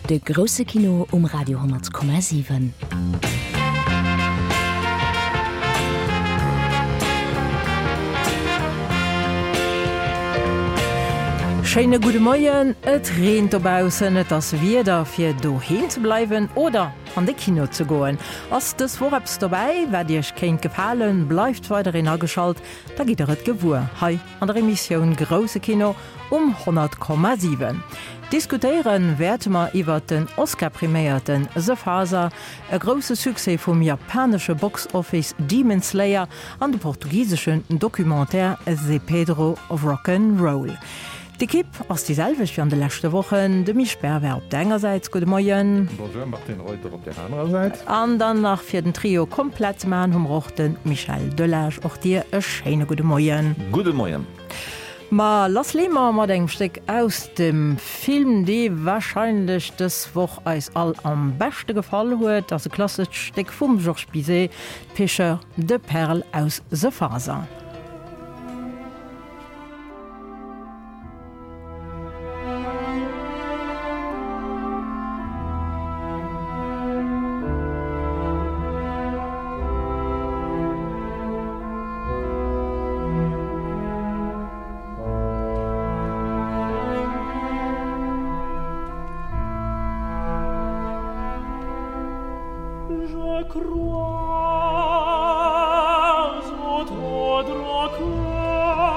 De grousse Kino um Radio 10,7. Schéine gudde Moien, Et reent dobaussen, et ass Wieder fir doheem ze bleiwen oder an de Kino ze goen. Ass dës Woch eppes dobäi wat iech kéint gefalen? Bleift weiderhin ageschalt, da gitt der et gewuer hei an der Emissioun Grousse Kino um 100,7. Diskutéiere wäerte mer iwwert den Oscar-priméierten The Father, e grousse Succès vum japanesche Box-Office Demon Slayer an de portugiseschen Documentaire Zé Pedro Rock'n Roll. D'Ekipp ass déi selwecht wéi an de leschte Wochen, de Misch Bervert op der enger Säit, gudde Moien. Bonjour, Martine Reuter op där anerer Säit. An dann nach fir den Trio komplett ze maachen hu mer och de Michel Delage. Och dir e schéine gudde Moien. Gudde Moien. Ma lass lee mer mat engem Stéck aus dem Film, dee warscheinlech dës Woch eis all am beschte gefall huet. Ass e klassescht Stéck vum Georges Bizet, D'Pêcheurs de perles aus The Father. Je croise au tendre cœur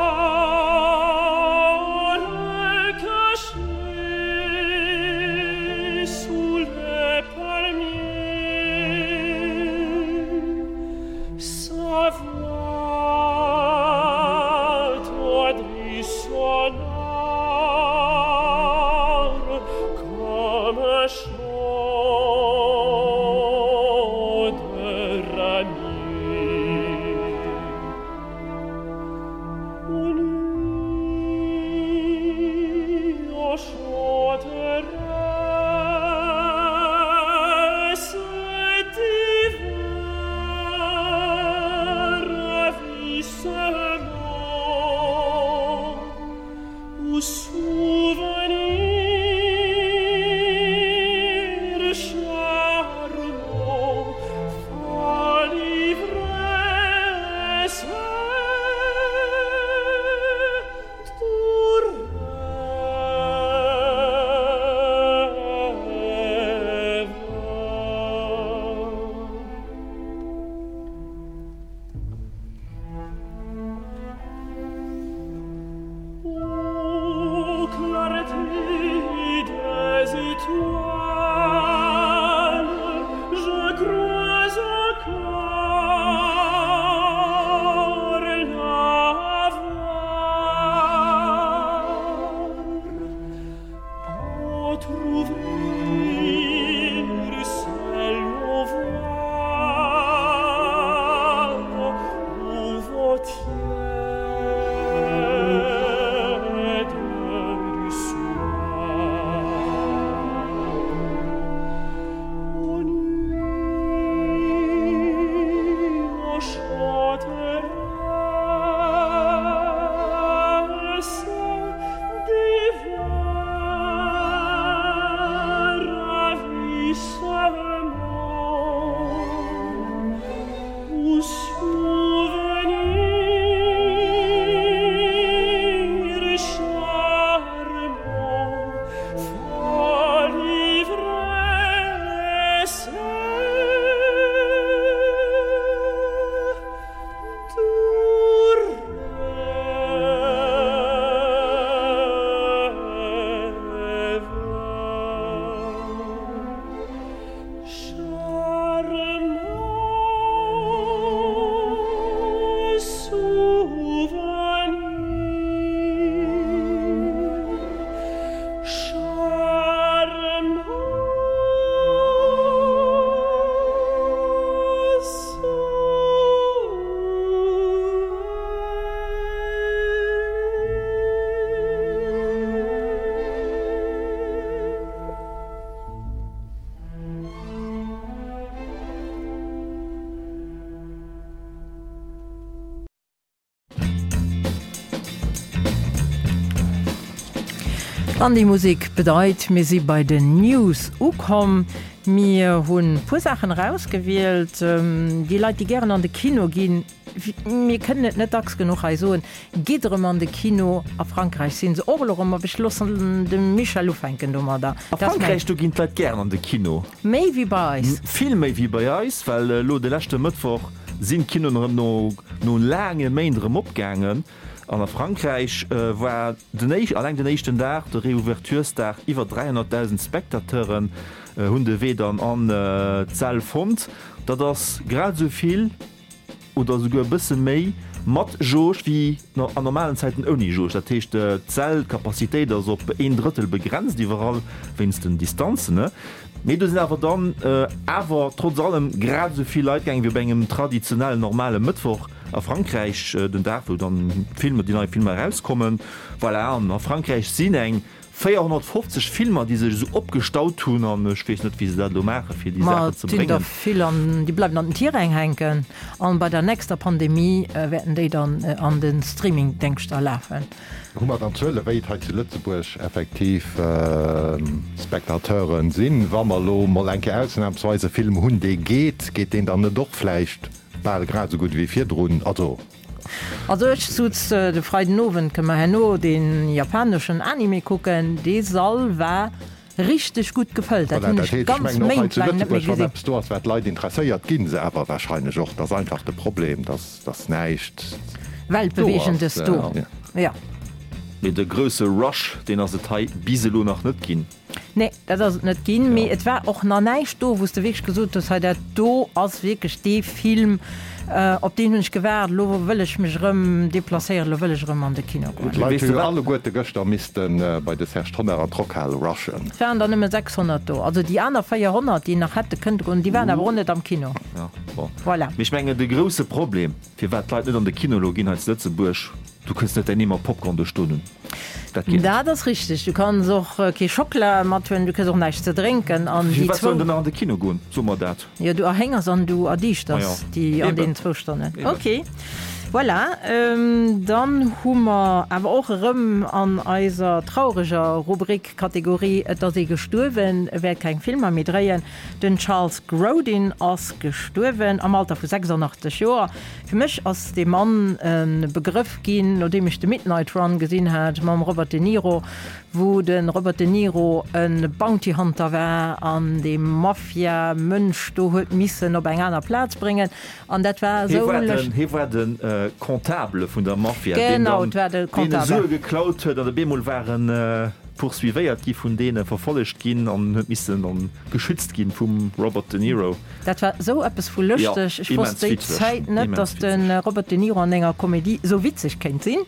caché sous les palmiers Sa voix tendue sonore comme un chant de ramiers. An déi Musek bedeit, mir si bei den News ukomm. Mir hunn e puer Saachen erausgewielt. Déi Leit, déi gären an de Kino ginn, mir kënnen et net dacks genuch hei soen, gitt erëm an de Kino. A Frankräich si se och elo erëm op. Ech loossen de Michel ufänken domadder. A Frankräich, do ginn d'Leit gären an de Kino. Méi wéi bei eis. Vill méi wéi bei eis, well elo de leschte Mëttwoch sinn d'Kinoen erëm no laange Méint erëm opgaangen. An a Frankräich war den éischt, alleng den éischten Dag, de Reouverturesdag, iwwer 300.000 Spectateuren hunn de Wee dann an d'Säll fonnt. Dat ass grad esou vill oder esouguer e bësse méi mat Jauge wéi an normalen Zäiten ouni Jauge. Dat heescht, d'Säll, d'Capacitéit ass op een Drëttel begrenzt iwwerall wéinst den Distanzen. Mee do sinn awer dann awer trotz allem grad esou vill Leit gaangen wéi op engem traditionellen normale Mëttwoch. A Frankräich, den Dag wou dann d'Filmer, déi nei Filmer erauskommen. Voilà, an a Frankräich sinn eng 450 Filmer, déi sech esou opgestaut hunn an ech weess net, wéi se dat elo maachen, fir déi Saachen ze bréngen. Ma et sinn der vill an déi bleiwen an den Tiräng hänken an bei der nächster Pandemie wäerten déi dann an de Streamingdéngschter lafen. Hu mer dann Zuele wéi et hei zu Lëtzebuerg effektiv Spectateuren sinn? Wa mer elo mol eng Kéier ausnahmsweis e Film hunn, dee geet, geet deen dann net och vläicht Bal grad esou gutt ewéi virdrun, also. Also ech sutz de Freiden Owend, kënne mer herno dee japaneschen Anime kucken, dee Sall war richteg gutt gefëllt, dat Voilà, hunn dat ech heescht, ech ganz mengen och hei Méint zu laang net méi Lëtzebuerg, wann gesinn. eppes do ass, wat d'Leit interesséiert, gi se awer wahrscheinlech och. Dat ass einfach de Problem, dass, dass näischt do ass. Weltbewegendes do, jo. Mee de grousse Rush, deen ass et hei bis elo nach net ginn. Nee, dat ass et net ginn. Mee et war och nach näischt do, wou s de wierklech gesot hues, hei dat do ass wierklech dee Film, op deen hunn ech gewaart, elo wëll ech mech erëm deplacéieren, elo wëll ech erëm an de Kino goen. D'Leit hu jo alleguerte gëschter misste bei de Serge Tonnar an d'Rockhal rushen. Et waren der nëmme 600 do. Also déi aner 400, déi nach hätte kënnte goen, déi waren awer och net am Kino. Voilà. Mee ech mengen, de grousse Problem, firwat d'Leit net an de Kino elo ginn hei zu Lëtzebuerg, Du kënns net däin Eemer Popcorn do stoen hunn. Dat geet net. Dat ass richteg. Du kanns och kee Schockela mathuelen, du kriss och näischt ze drénken an déi Firwat soll zwou. en dann nach an de Kino goen? So mer dat. Jo, du erhéngers an du Ma jo, erdiischters déi an eben. deenen zwou Stonnen. Eben. Ok, voilà. Dann hu mer awer och erëm an eiser traureger Rubrik, Kategorie, Et ass ee gestuerwen, e wäert keng Filmer méi dréien. Den Charles Grodin ass gestuerwen am Alter vu 86 Joer. Fir mech ass dee Mann e Begrëff ginn, nodeem ech de Midnight Run gesinn hat mam Robert De Niro, wou de Robert De Niro e Bounty Hunter war an dee Mafia-Mënsch do huet missen op eng aner Plaz bréngen. An dat war Hie esou war lëscht. den, hie war de Comptable vun der Mafia, deen Genau, dann et war de deene Comptable. Sue geklaut huet an op eemol war en poursuivéiert gi vun deene, verfollegt ginn an huet missen dann geschützt ginn vum Robert De Niro. Dat war esou eppes vu lëschteg. Ech wosst déi Zäit net, datt de Robert De Niro an enger Komedie esou witzeg kéint sinn.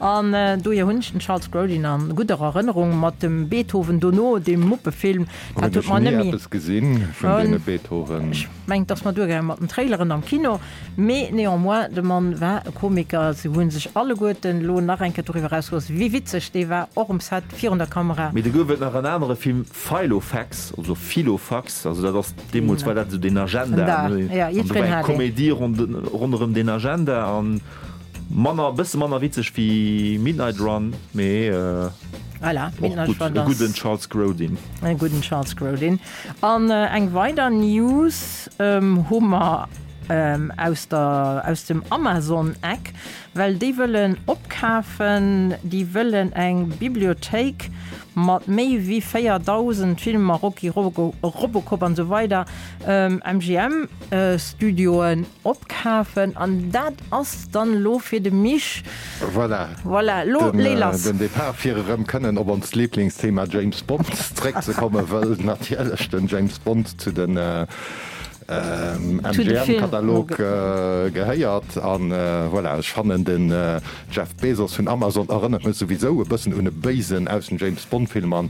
An dohier hunn ech den Charles Grodin a gudder Erënnerung mat dem Beethoven dono, deem Muppefilm. Dat huet mer net méi. Eppes gesinn vun deene Beethoven. Ech mengen, et ass mer duergaangen mat den Traileren am Kino. Mee néanmoins, de Mann war e Komiker. Se hu sech alleguerten elo nach eng Kéier doriwwer erausgelooss, wéi witzeg dee war, och um Set virun der Kamera. Mee do gouf et nach en anere Film, Filofax, also Filofax, also dat ass, deemools war dat esou den Agenda, ne? An do war eng Komedie ronderëm deen Agenda an manner, e bësse manner witzeg wéi Midnight Run, mee och gutt, e gudden Charles Grodin. E gudden Charles Grodin. An eng weider News hu mer aus der, aus dem Amazon-Eck. Well déi wëllen opkafen, déi wëllen eng Bibliothéik mat méi wéi 4.000 Filmer, Rocky, Robocop an esou weider, MGM Studioen opkafen. An dat ass dann elo fir de Mich. Voilà. Voilà, elo lee lass. Den Depart fir erëm kënnen op onst Liblingsthema James Bond zréckzekommen, wëll natierlech den James Bond zu den MGM-Katalog gehéiert. An voilà, ech fannen den Jeff Bezos vun Amazon erënnert mech souwisou e bëssen un e Béisen aus den James Bond Filmer.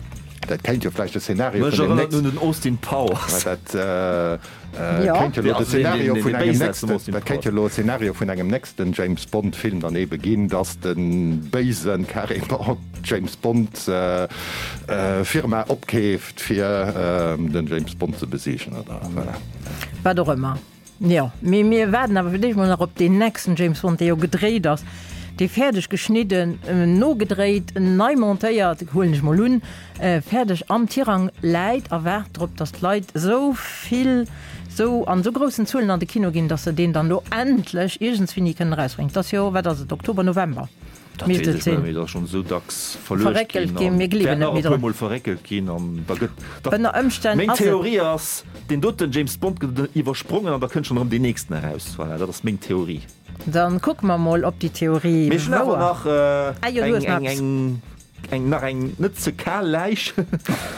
Dat kéint jo vläicht de Szenario vun dem nächsten. Mech erënnert un den Austin Powers. Dat kéint jo elo de Szenario vun engem nächsten, dat kéint jo elo e Szenario vun engem nächsten James Bond Film dann ebe ginn, dass de Béisen carrément d'James Bond Firma opkeeft. Fir den James Bond ze besiegen, oder? Voilà. Wat och ëmmer. Jo, mee mir waarden awer fir d'éischt mol nach op deen nächsten James Bond, dee jo gedréit ass. Dee fäerdeg geschnidden, nogedréit, nei montéiert, huelen ech mol un, fäerdeg am Tirang läit a waart drop, datt d'Leit esou vill, esou an esou groussen Zuelen an de Kino ginn, datt se deen dann elo endlech iergendswéini kënnen erausbréngen. Et ass jo, wat ass et, Oktober, November Dat misst weess et ech net sinn. méi, et ass schonn esou dacks verluecht Verréckelt ginn ginn, an mir gleewen wäert net nach méi e drun. puermol verréckelt ginn an da gëtt, da, Ënner Ëmstänn meng ass et. Theorie ass, deen doten James Bond gëtt iwwersprongen an da kënnt schonn erëm deen nächsten eraus. Voilà, dat ass meng Theorie. Dann kucke mer mol op déi Theorie Mee ech hunn awer wouer. nach Ah jo, du eng, hues nach eng, eppes. eng, eng, nach eng net ze kal Läich,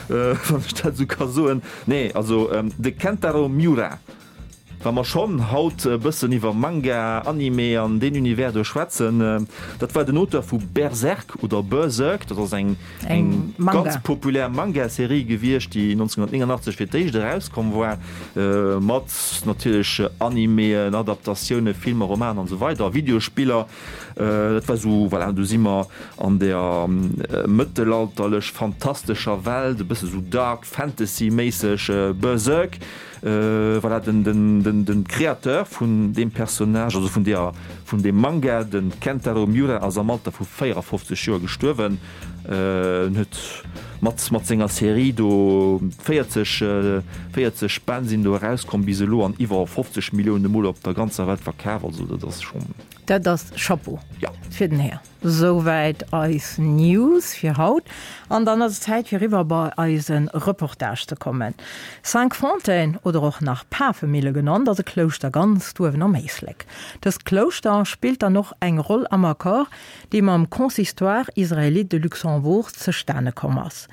wann ech dat esou ka soen. Nee, also de Kentaro Miura, wa mer schonn haut e bëssen iwwer Manga, Anime an deen Univers do schwätzen, dat war den Auteur vu Berserk oder Berserk, dat ass eng, Eng Manga. Ganz populär Manga-Serie gewiescht, déi 1989 fir d'éischt erauskomm war, mat natierlech Animeën, Adaptatiounen, Filmer, Romanen an esou weider, Videospiller. Dat war esou, voilà, do si mer an der mëttelalterlech fantastescher Welt, e bësse sou Dark Fantasy-méisseg, Berserk. Voilà, den Créateur vun deem Personnage, also vun deer, vun deem Manga, de Kentaro Miura ass am Alter vu 54 Joer gestuerwen. En huet mat mat senger Serie do 40 40 Bänn sinn do erauskomm bis elo an iwwer 50 Millioune Mol op der ganzer Welt verkaf. Also dat ass schonn. Dat ass Chapeau Ja. fir den Här. Souwäit eis News fir haut. An dann ass et Zäit fir eriwwer bei eise Reportage ze kommen. Cinqfontaines oder och nach Pafemille genannt ass e Klouschter ganz uewen am Éislek. Dëst Klouschter spillt dann och eng Roll am Accord dee mam Consistoire israélite de Luxembourg zestane komm ass.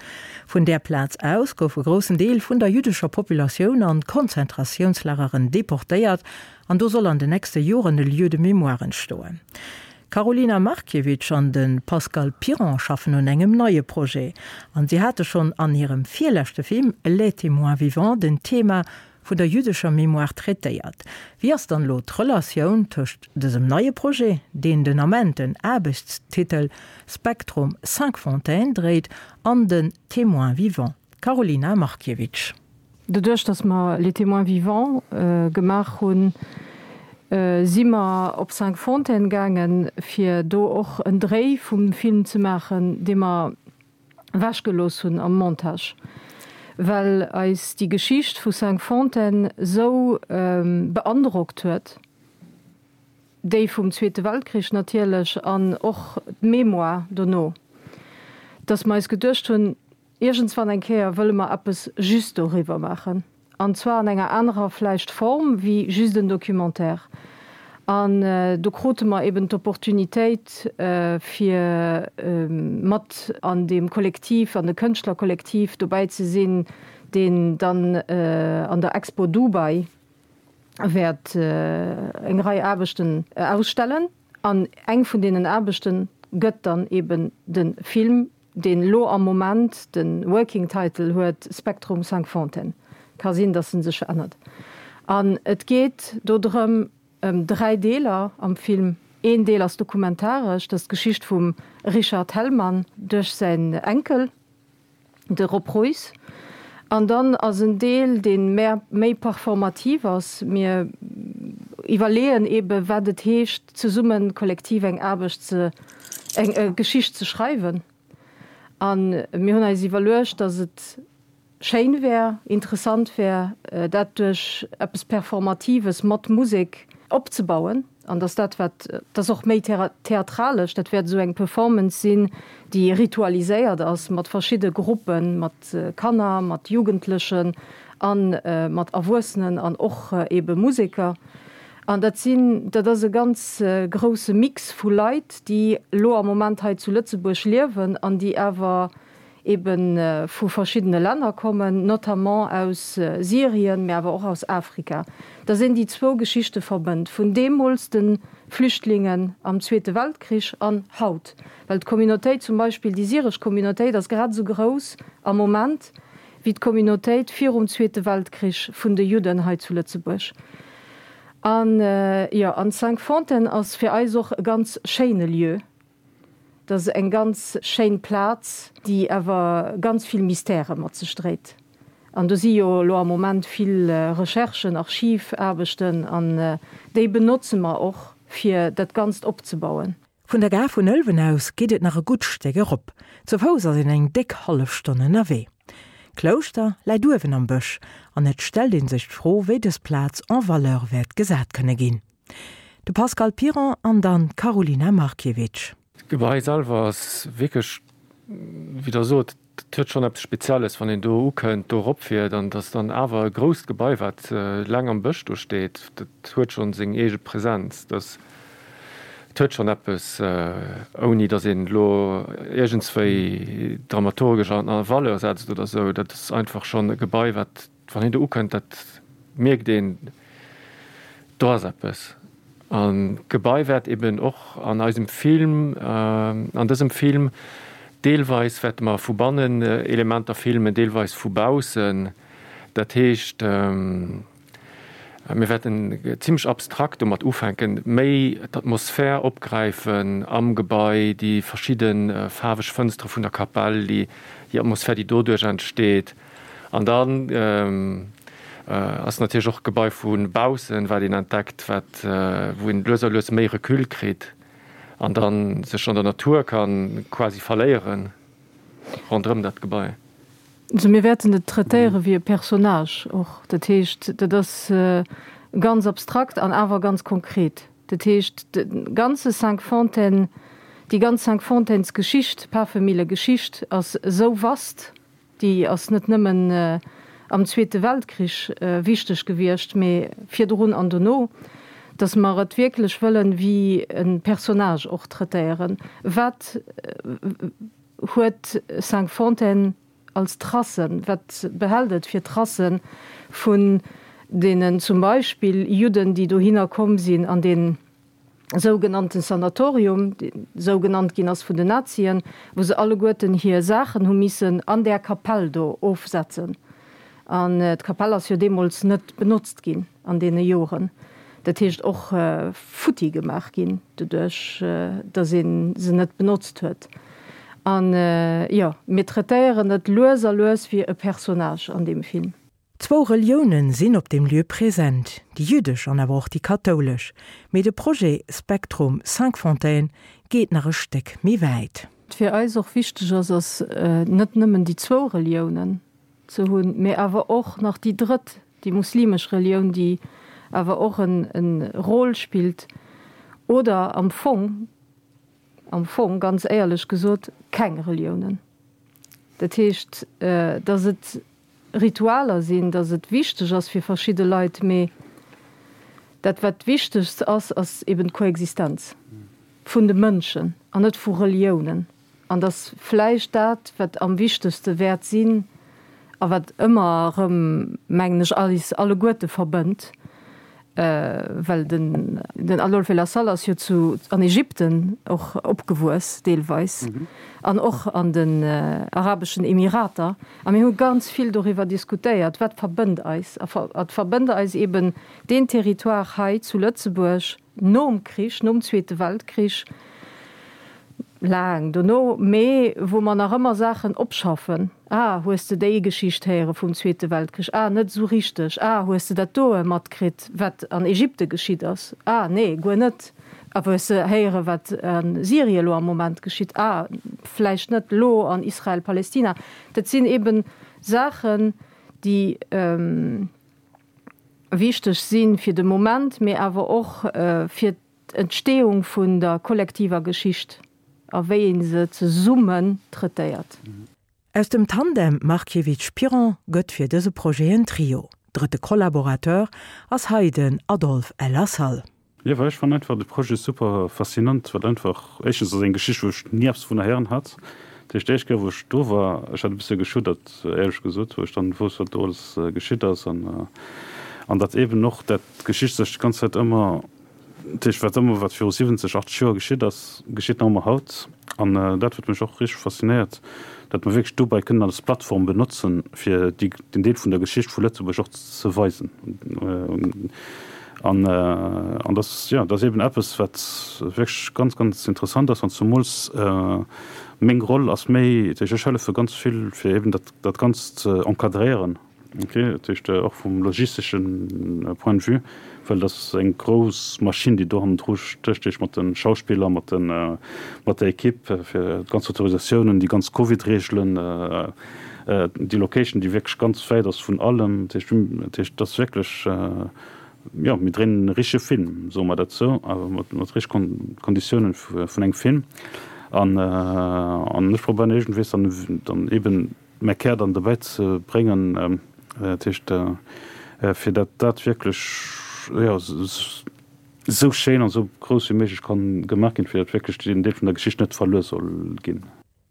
Vun där Plaz aus gouf e groussen Deel vun der jüddescher Populatioun an d'Konzentratiounslageren deportéiert an do soll an de nächste Joren e Lieu de mémoire entstoen. D'Karolina Markiewicz an de Pascal Piron schaffen un engem neie Projet an si hate schonn an hirem virleschte Film Les témoins vivants den Thema vun der jüddescher Mémoire traitéiert. Wéi ass dann elo d'Relatioun tëscht dësem neie Projet, deen den Ament den Aarbechtstitel Spektrum Cinqfontaines dréit, an den Témoins vivants? Karolina Markiewicz. Doduerch, datt mer Les Témoins vivants gemaach hunn, si mer op Cinqfontaines gaangen, fir do och en Dréi vum Film ze maachen, dee mer wechgelooss hunn am Montage, well eis déi Geschicht vu Cinqfontaines sou beandrockt huet, déi vum Zweete Weltkrich natierlech an och d'Mémoire dono, dass mer eis geduecht hunn, iergendswann eng Kéier wëlle mer eppes just doriwwer maachen. An zwar an enger anerer vläicht Form wéi just en Documentaire. An do krute mer eben d'Opportunitéit, fir mat an deem Kollektiv, an de Kënschtlerkollektiv dobäi ze sinn, deen dann an der Expo Dubai wäert eng Rei Aarbechten ausstellen. An eng vun deenen Aarbechte gëtt dann eben de Film deen elo am Moment de Working Title huet Spektrum Cinqfontaines. Ka sinn, datt en sech verännert. An et geet do drëm, ëm 3 Deeler am Film. Een Deel ass dokumentaresch, dat ass d'Geschicht vum Richard Hellmann duerch säin Enkel, de Rob Roys. An dann ass en Deel, dee méi performativ ass. Mir iwwerleeën eebe wat et heescht, zesummen kollektiv eng Aarbecht ze, eng Geschicht ze schreiwen. A mir hunn eis iwwerluecht, datt et schéin wär, interessant wär, dat duerch eppes Performatives mat Musek opzebauen. An dass dat, wat, dat ass och méi theatralesch, dat wäert esou eng Performance sinn, déi ritualiséiert ass mat verschidde Gruppen, mat Kanner, mat Jugendlechen a mat Erwuessenen an och eebe Museker. An dat sinn, dat ass e ganz grousse Mix vu Leit, déi elo am Moment hei zu Lëtzebuerg liewen an déi awer ebe vu verschiddene Länner kommen, notamment aus Syrien, mä awer och aus Afrika, dass een déi zwou Geschichte verbënnt, vun deemools de Flüchtlingen am Zweete Weltkrich an haut. Well d'Communautéit zum Beispill, déi syresch Communautéit ass grad esou grouss am Moment wéi d'Communautéit virum Zweete Weltkrich vun de Judden hei zu Lëtzebuerg. An jo, an Cinqfontaines ass fir eis och e ganz schéine Lieu. Dat ass eng ganz schéin Plaz, déi awer ganz vill Mystèrë mat sech dréit. An do si jo elo am Moment vill Recherchen, Archivaarbechten, an déi benotze mer och, fir dat Ganzt opzebauen. Vun der Gare vun Ëlwen aus geet et nach e gutt Stéck erop. Zu Fouss ass een eng déck hallef Stonn ënnerwee. D'Klouschter läit uewen am Bësch an et stellt ee sech d'Fro, wéi dës Plaz en valeur wäert gesat kënne ginn. De Pascal Piron an dann d'Karolina Markiewicz. D'Gebai selwer ass wierklech, wéi Der sot, et huet schonn eppes Spezielles, wann een do ukënnt, do eropfiert an et ass dann awer e grousst Gebai, wat laang am Bësch do steet. Dat huet schonn seng eege Präsenz. Dat huet schonn eppes, ouni datt een elo iergendswéi dramaturgesch an a Valeur setzt oder esou. Dat ass einfach schonn e Gebai, wat Wann een do ukënnt, dat mierkt een, do ass eppes. An d'Gebai wäert eben och an eisem Film, an dësem Film, deelweis wäerte mer vu bannen Elementer filmen, deelweis vu baussen. Dat heescht, mir wäerten zimlech abstrakt domat ufänken, méi d'Atmosphär opgräifen am Gebai, déi verschidde faarweg Fënstere vun der Kapell, déi Atmosphär, déi doduerch entsteet. An dann ass natierlech och d'Gebai vu baussen, wat een entdeckt, wat, wou een lues a lues méi Recul kritt an da sech an der Natur ka quasi verléiere ronderëm dat Gebai. Also mir wäerten et traitéiere wéi e Personnage och. Dat heescht, dat ass ganz abstrakt an awer ganz konkret. Dat heescht, de ganze Cinqfontaines, déi ganz Cinqfontaines-Geschicht, Pafemille-Geschicht ass esou vast, Déi ass net nëmmen am Zweete Weltkrich wichteg gewiescht, mee virdrun an dono, datt mer et wierklech wëllen wéi e Personnage och traitéieren. Wat huet Cinqfontaines als Tracen? Wat behält et fir Tracen vun deenen zum Beispill Judden, déi dohinner komm sinn an deen sougenannten Sanatorium, deen esou genannt ginn ass vun den Nazien, wou se alleguerten hir Saachen hu missen an där Kapell do ofsetzen. An d'Kapell ass jo deemools net benotzt ginn an deene Joren. Dat heescht och futti gemaach ginn, doduerch datt ee se net benotzt huet. An jo, mir traitéieren et lues a lues wéi e Personnage an deem Film. Zwou Reliounen sinn op deem Lieu present, déi jüddesch an awer och déi kathoulesch. Mee de Projet Spektrum Cinqfontaines geet nach e Stéck méi wäit. Wat fir eis och wichteg ass, ass net nëmmen déi zwou Reliounen ze hunn, mee awer och nach déi drëtt, déi muslimesch Relioun, déi awer och e Rôle spillt oder am Fong, am Fong, ganz éierlech gesot, keng Reliounen. Dat heescht, datt et Ritualer sinn, datt et wichteg ass fir verschidde Leit, mee dat wat wichtegst ass, ass eben d'Koexistenz vun de Mënschen an net vu Reliounen. An datt vläicht dat wat am wichtegste wäert sinn a wat ëmmer erëm, mengen ech, eis alleguerte verbënnt, Well den den Adolphe Lassalle ass jo zu an Ägypten och opgewuess deelweis an och an den arabeschen Emirater. A mir hu ganz vill doriwwer diskutéiert, wat verbënnt eis. A et verbënnt eis eben deen Territoire hei zu Lëtzebuerg nom Krich, nom Zweete Weltkrich, laang dono, mee wou mer nach ëmmer Saachen opschaffen, Ah, hues de déi Geschicht héiere vum Zweete Weltkrich? Ah, net esou richteg. Ah, hues de dat doe matkritt, wat an Ägypte geschitt ass? Ah, nee, guer net. A hues de héiere wat a Syrie elo am Moment geschitt? Ah, vläicht net elo an Israel-Palestina. Dat sinn eeben Saachen, déi wichteg si fir de Moment, mee awer och fir d'Entstehung vun der kollektiver Geschicht a wéi ee se zesummen traitéiert. Aus dem Tandem Markiewicz-Piron gëtt fir dëse Projet en Trio. Drëtte Collaborateur ass hei den Adolphe El Assal. Jo, well ech fannen einfach de Projet super faszinant, well einfach, éischtens ass eng Geschicht wou ech ni eppes dovunner héieren hat, dat heescht déi éischt Kéier wou ech do war, ech hat e bësse geschuddert éierlech gesot, wou ech dann wousst wat do alles geschitt ass an an datt eben och dat d'Geschicht sech d'ganz Zäit ëmmer Dat heescht, wat ëmmer wat viru 70, 80 Joer geschitt ass, geschitt nach ëmmer haut. An dat huet mech och richteg faszinéiert, datt mer wierklech dobäi kënnen als Plattform benotzen, fir déi, den Deel vun der Geschicht vu Lëtzebuerg och ze weisen. An, an dat, jo, dat ass eeben eppes, wat wierklech ganz, ganz interessant ass. An zemools meng Roll ass méi, dat heescht, ech hëllefe ganz vill, fir eeben dat, dat Ganzt ze encadréieren. Ok, dat heescht och vum logistesche Point de vue, well dat ass eng grouss Maschinn, déi do hannendru stécht, mat de Schauspiller, mat de mat der Equipe, fir d'ganz Autorisatiounen, déi ganz Covid-Reegelen, déi Location, déi wierklech ganz wäit ass vun allem. Dat heescht, dat heescht, dat ass wierklech, jo, mir dréinen e richtege Film, soe mer dat esou, awer mat mat richtege Konditiounen vun engem Film. An an ech probéieren iergendwees dann dann eeben, mäi Kär dann dobäi ze bréngen, dat heescht fir dat dat wierklech jo esou schéin an esou grouss wéi méiglech kann gemaach ginn, fir dat wierklech deen Deel vun der Geschicht net verluer soll ginn.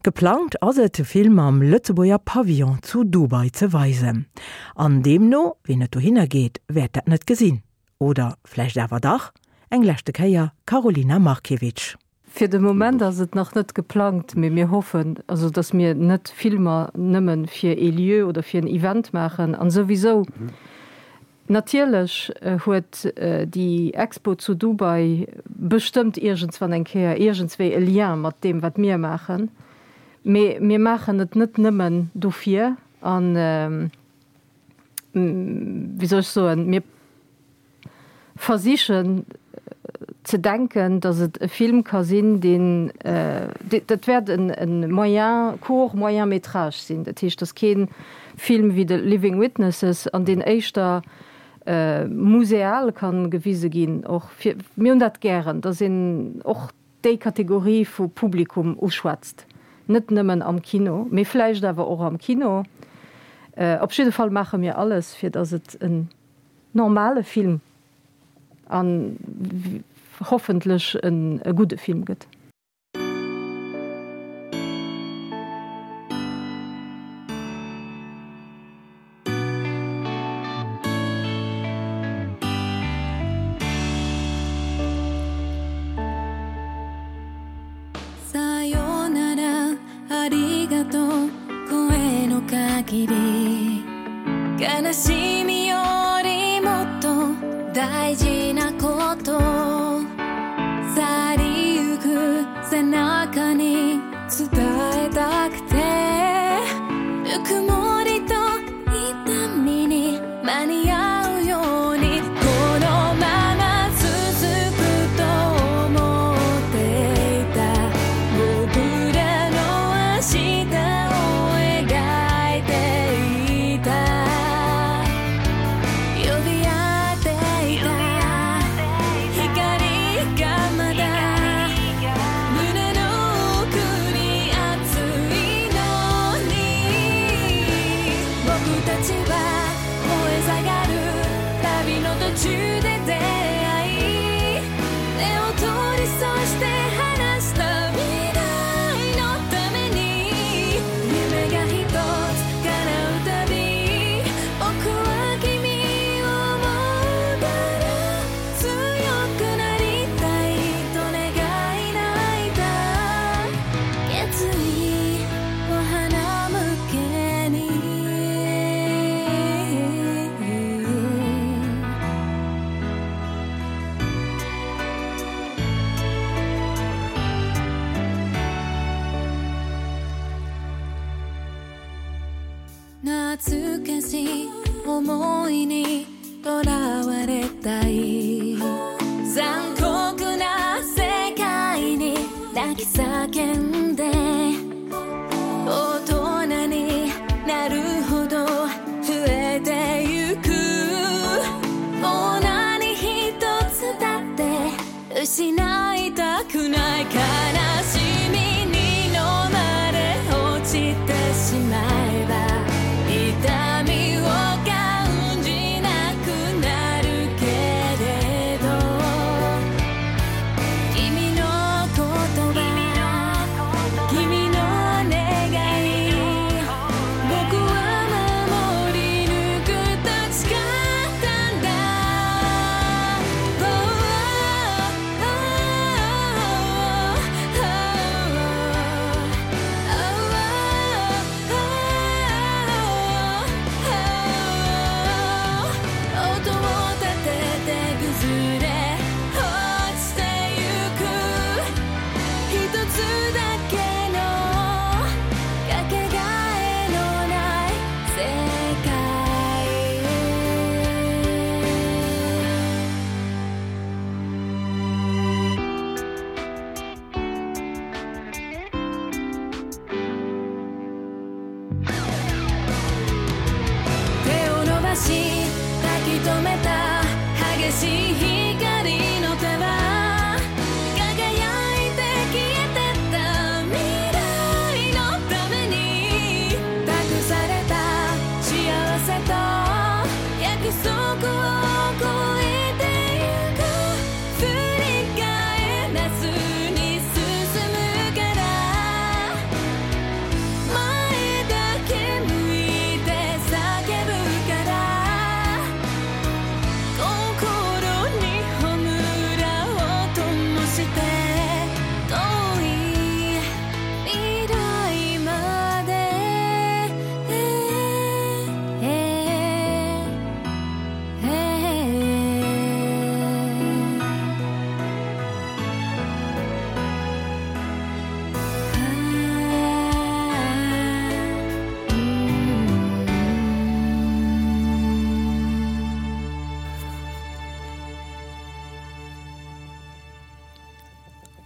Geplangt ass et, de Film am Lëtzebuerger Pavillon zu Dubai ze weisen. An deemno, wien net dohinner geet, wäert dat net gesinn. Oder vläicht awer dach? Eng leschte Kéier Karolina Markiewicz. Fir de Moment ass et nach net geplangt, mee mir hoffen, also datt mir net Filmer nëmme fir ee Lieu oder fir en Event maachen. An souwisou, natierlech huet déi Expo zu Dubai bestëmmt iergendswann eng Kéier iergendswéi e Lien mat deem, wat mir maachen. Mee mir maachen et net nëmmen dofir. An, wéi soll ech soen, mir versichen ze denken, datt et e Film ka sinn, deen, dat wäert e moyen, court moyen métrage sinn, dat heescht, datt kee Film wéi The Living Witnesses, an deen éischter museal ka gewise ginn och fir, mir hunn dat gären, datt een och déi Kategorie vu Publikum uschwätzt, net nëmmen am Kino, mee vläicht awer och am Kino. Op jidde Fall maache mir alles, fir datt et en normale Film an hoffentlech e gudde Film gëtt.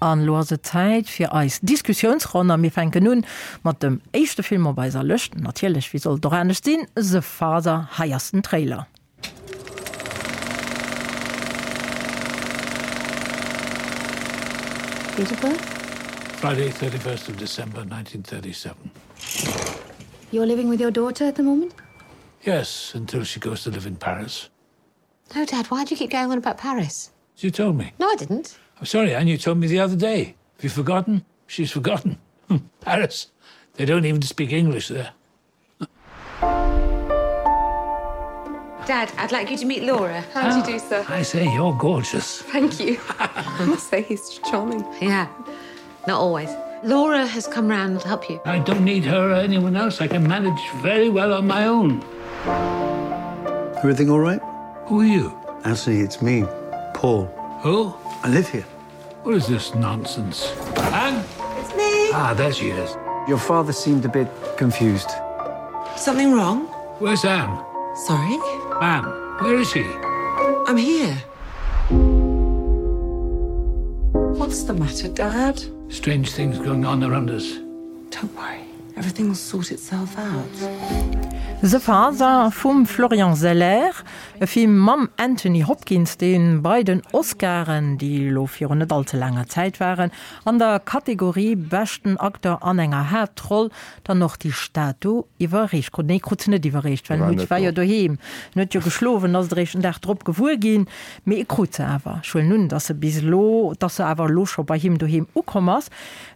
An elo ass et Zäit fir eis Diskussiounsronn a mir fänken un mat dem éischte Film op eiser Lëscht, natierlech, wéi soll et och anescht sinn, The Father. Hei ass den Trailer. Date of birth? Friday 31st of December 1937. You're living with your daughter at the moment? Yes, until she goes to live in Paris. No, Dad, why do you keep going on about Paris? You told me. No, I didn't. I'm sorry, Anne, you told me the other day. Have you forgotten? She's forgotten. Paris. They don't even speak English there. Dad, I'd like you to meet Laura. How do you do, sir? I say you're gorgeous. Thank you. I must say he's charming. Yeah, not always. Laura has come round to help you. I don't need her or anyone else. I can manage very well on my own. Everything all right? Who are you? Anthony, it's me, Paul. Who? I live here. What is this nonsense? Anne? It's me. Ah, there she is. Your father seemed a bit confused. Something wrong? Where's Anne? Sorry? Anne, where is she? I'm here. What's the matter, Dad? Strange things going on around us. Don't worry, everything will sort itself out. The Father vum Florian Zeller, e Film mam Anthony Hopkins, dee bei den Oscaren, déi elo virun net all ze laanger Zäit waren, an der Kategorie beschten Acteur an enger Haaptroll dann och déi Statu iwwerreecht krut. Nee, krut se net iwwerreecht, well en huet, war jo doheem, en huet jo geschlof, en ass et eréischt den Dag drop gewuer ginn. Mee e krut se awer. Ech huelen un, dass se bis elo, dass se awer elo scho bei him doheem ukomm ass.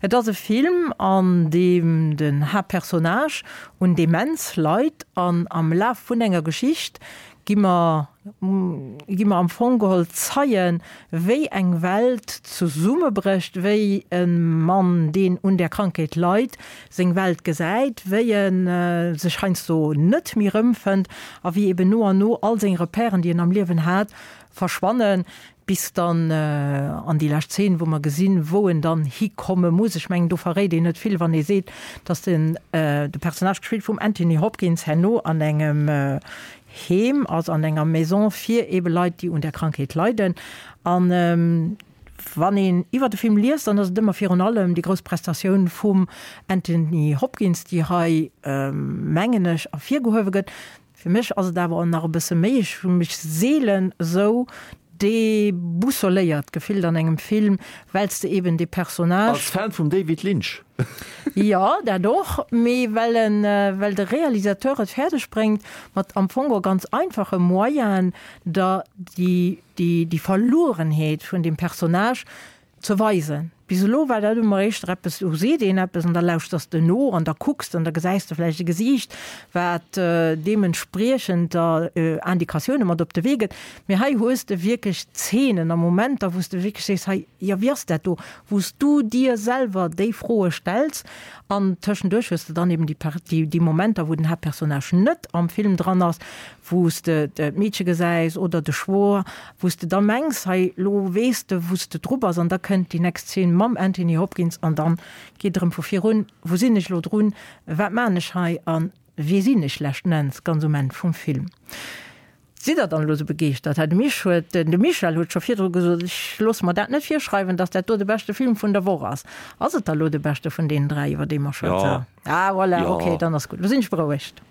Et ass e Film, an deem den Haaptpersonnage un Demenz leit an am Laf vun enger Geschicht gi mer, gi mer am Fong geholl Zeien, wéi eng Welt zesummebrécht, wéi e Mann, deen un där Krankheet leit, seng Welt gesäit, wéi e sech heiansdo net méi erëmfënnt a wéi eben no an no all seng Repèren, déi en am Liewen hat, verschwannen, bis dann an déi lescht Zeen, wou mer gesinn, wou en dann hikomme muss. Ech mengen, do verréit een net vill, wann ee seet, dass den de Personnage, gespillt vum Anthony Hopkins, herno an engem Heem ass, an enger Maison fir ebe Leit, déi un där Krankheet leiden. An wann een iwwer de Film liest, dann ass et ëmmer virun allem déi grouss Prestatioun vum Anthony Hopkins, déi hei, mengen ech, ervirgehuewe gëtt. Fir mech ass et awer och nach e bësse méi, ech hu mech seelen esou deboussoléiert gefillt an engem Film, well s de eben dee Personnage. Als Fan vum David Lynch. Jo, dat och, mee well en, well de Realisateur et fäerdeg bréngt, mat am Fong och ganz einfache Moyenen der déi, déi, déi Verluerenheet vun deem Personnage ze weisen. Bis elo war dat ëmmer éischter eppes, do seet een eppes an da lauschters de no an da kucks de an da gesäis de vläicht e Gesiicht, wat deementspriechend der Indikatioune mat op de Wee gëtt. Mee hei hues de wierklech Zeenen a Momenter, wou s de wierklech sees, hei, jo, wéi ass dat do? Wou s du dir selwer déi Froe stells an tëschenduerch hues de dann eben déi, déi Momenter, wou den Haaptpersonnage net am Film dran ass, wou s de d'Meedche gesäis oder de Schwoer, wou s de da mengs, hei lo weess de wou s de dru bass an da kënnt déi next Zeen mam Anthony Hopkins an dann geet erëm vu vir un, wou sinn ech lo drun, wat maan ech hei a wie sinn ech leschten Enns ganz um Enn vum Film. Sidd der dann elo sou begeeschtert? Hei de Mich huet, de Michel huet scho virdru gesot, ech loosse mer dat net virschreiwen, datt dat do de beschte Film vun der Woch ass. Ass et da lo de beschte vun deenen 3, iwwer déi mer schwätzen? Ah voilà, ok, dann ass gutt, lo sinn ech berouegt.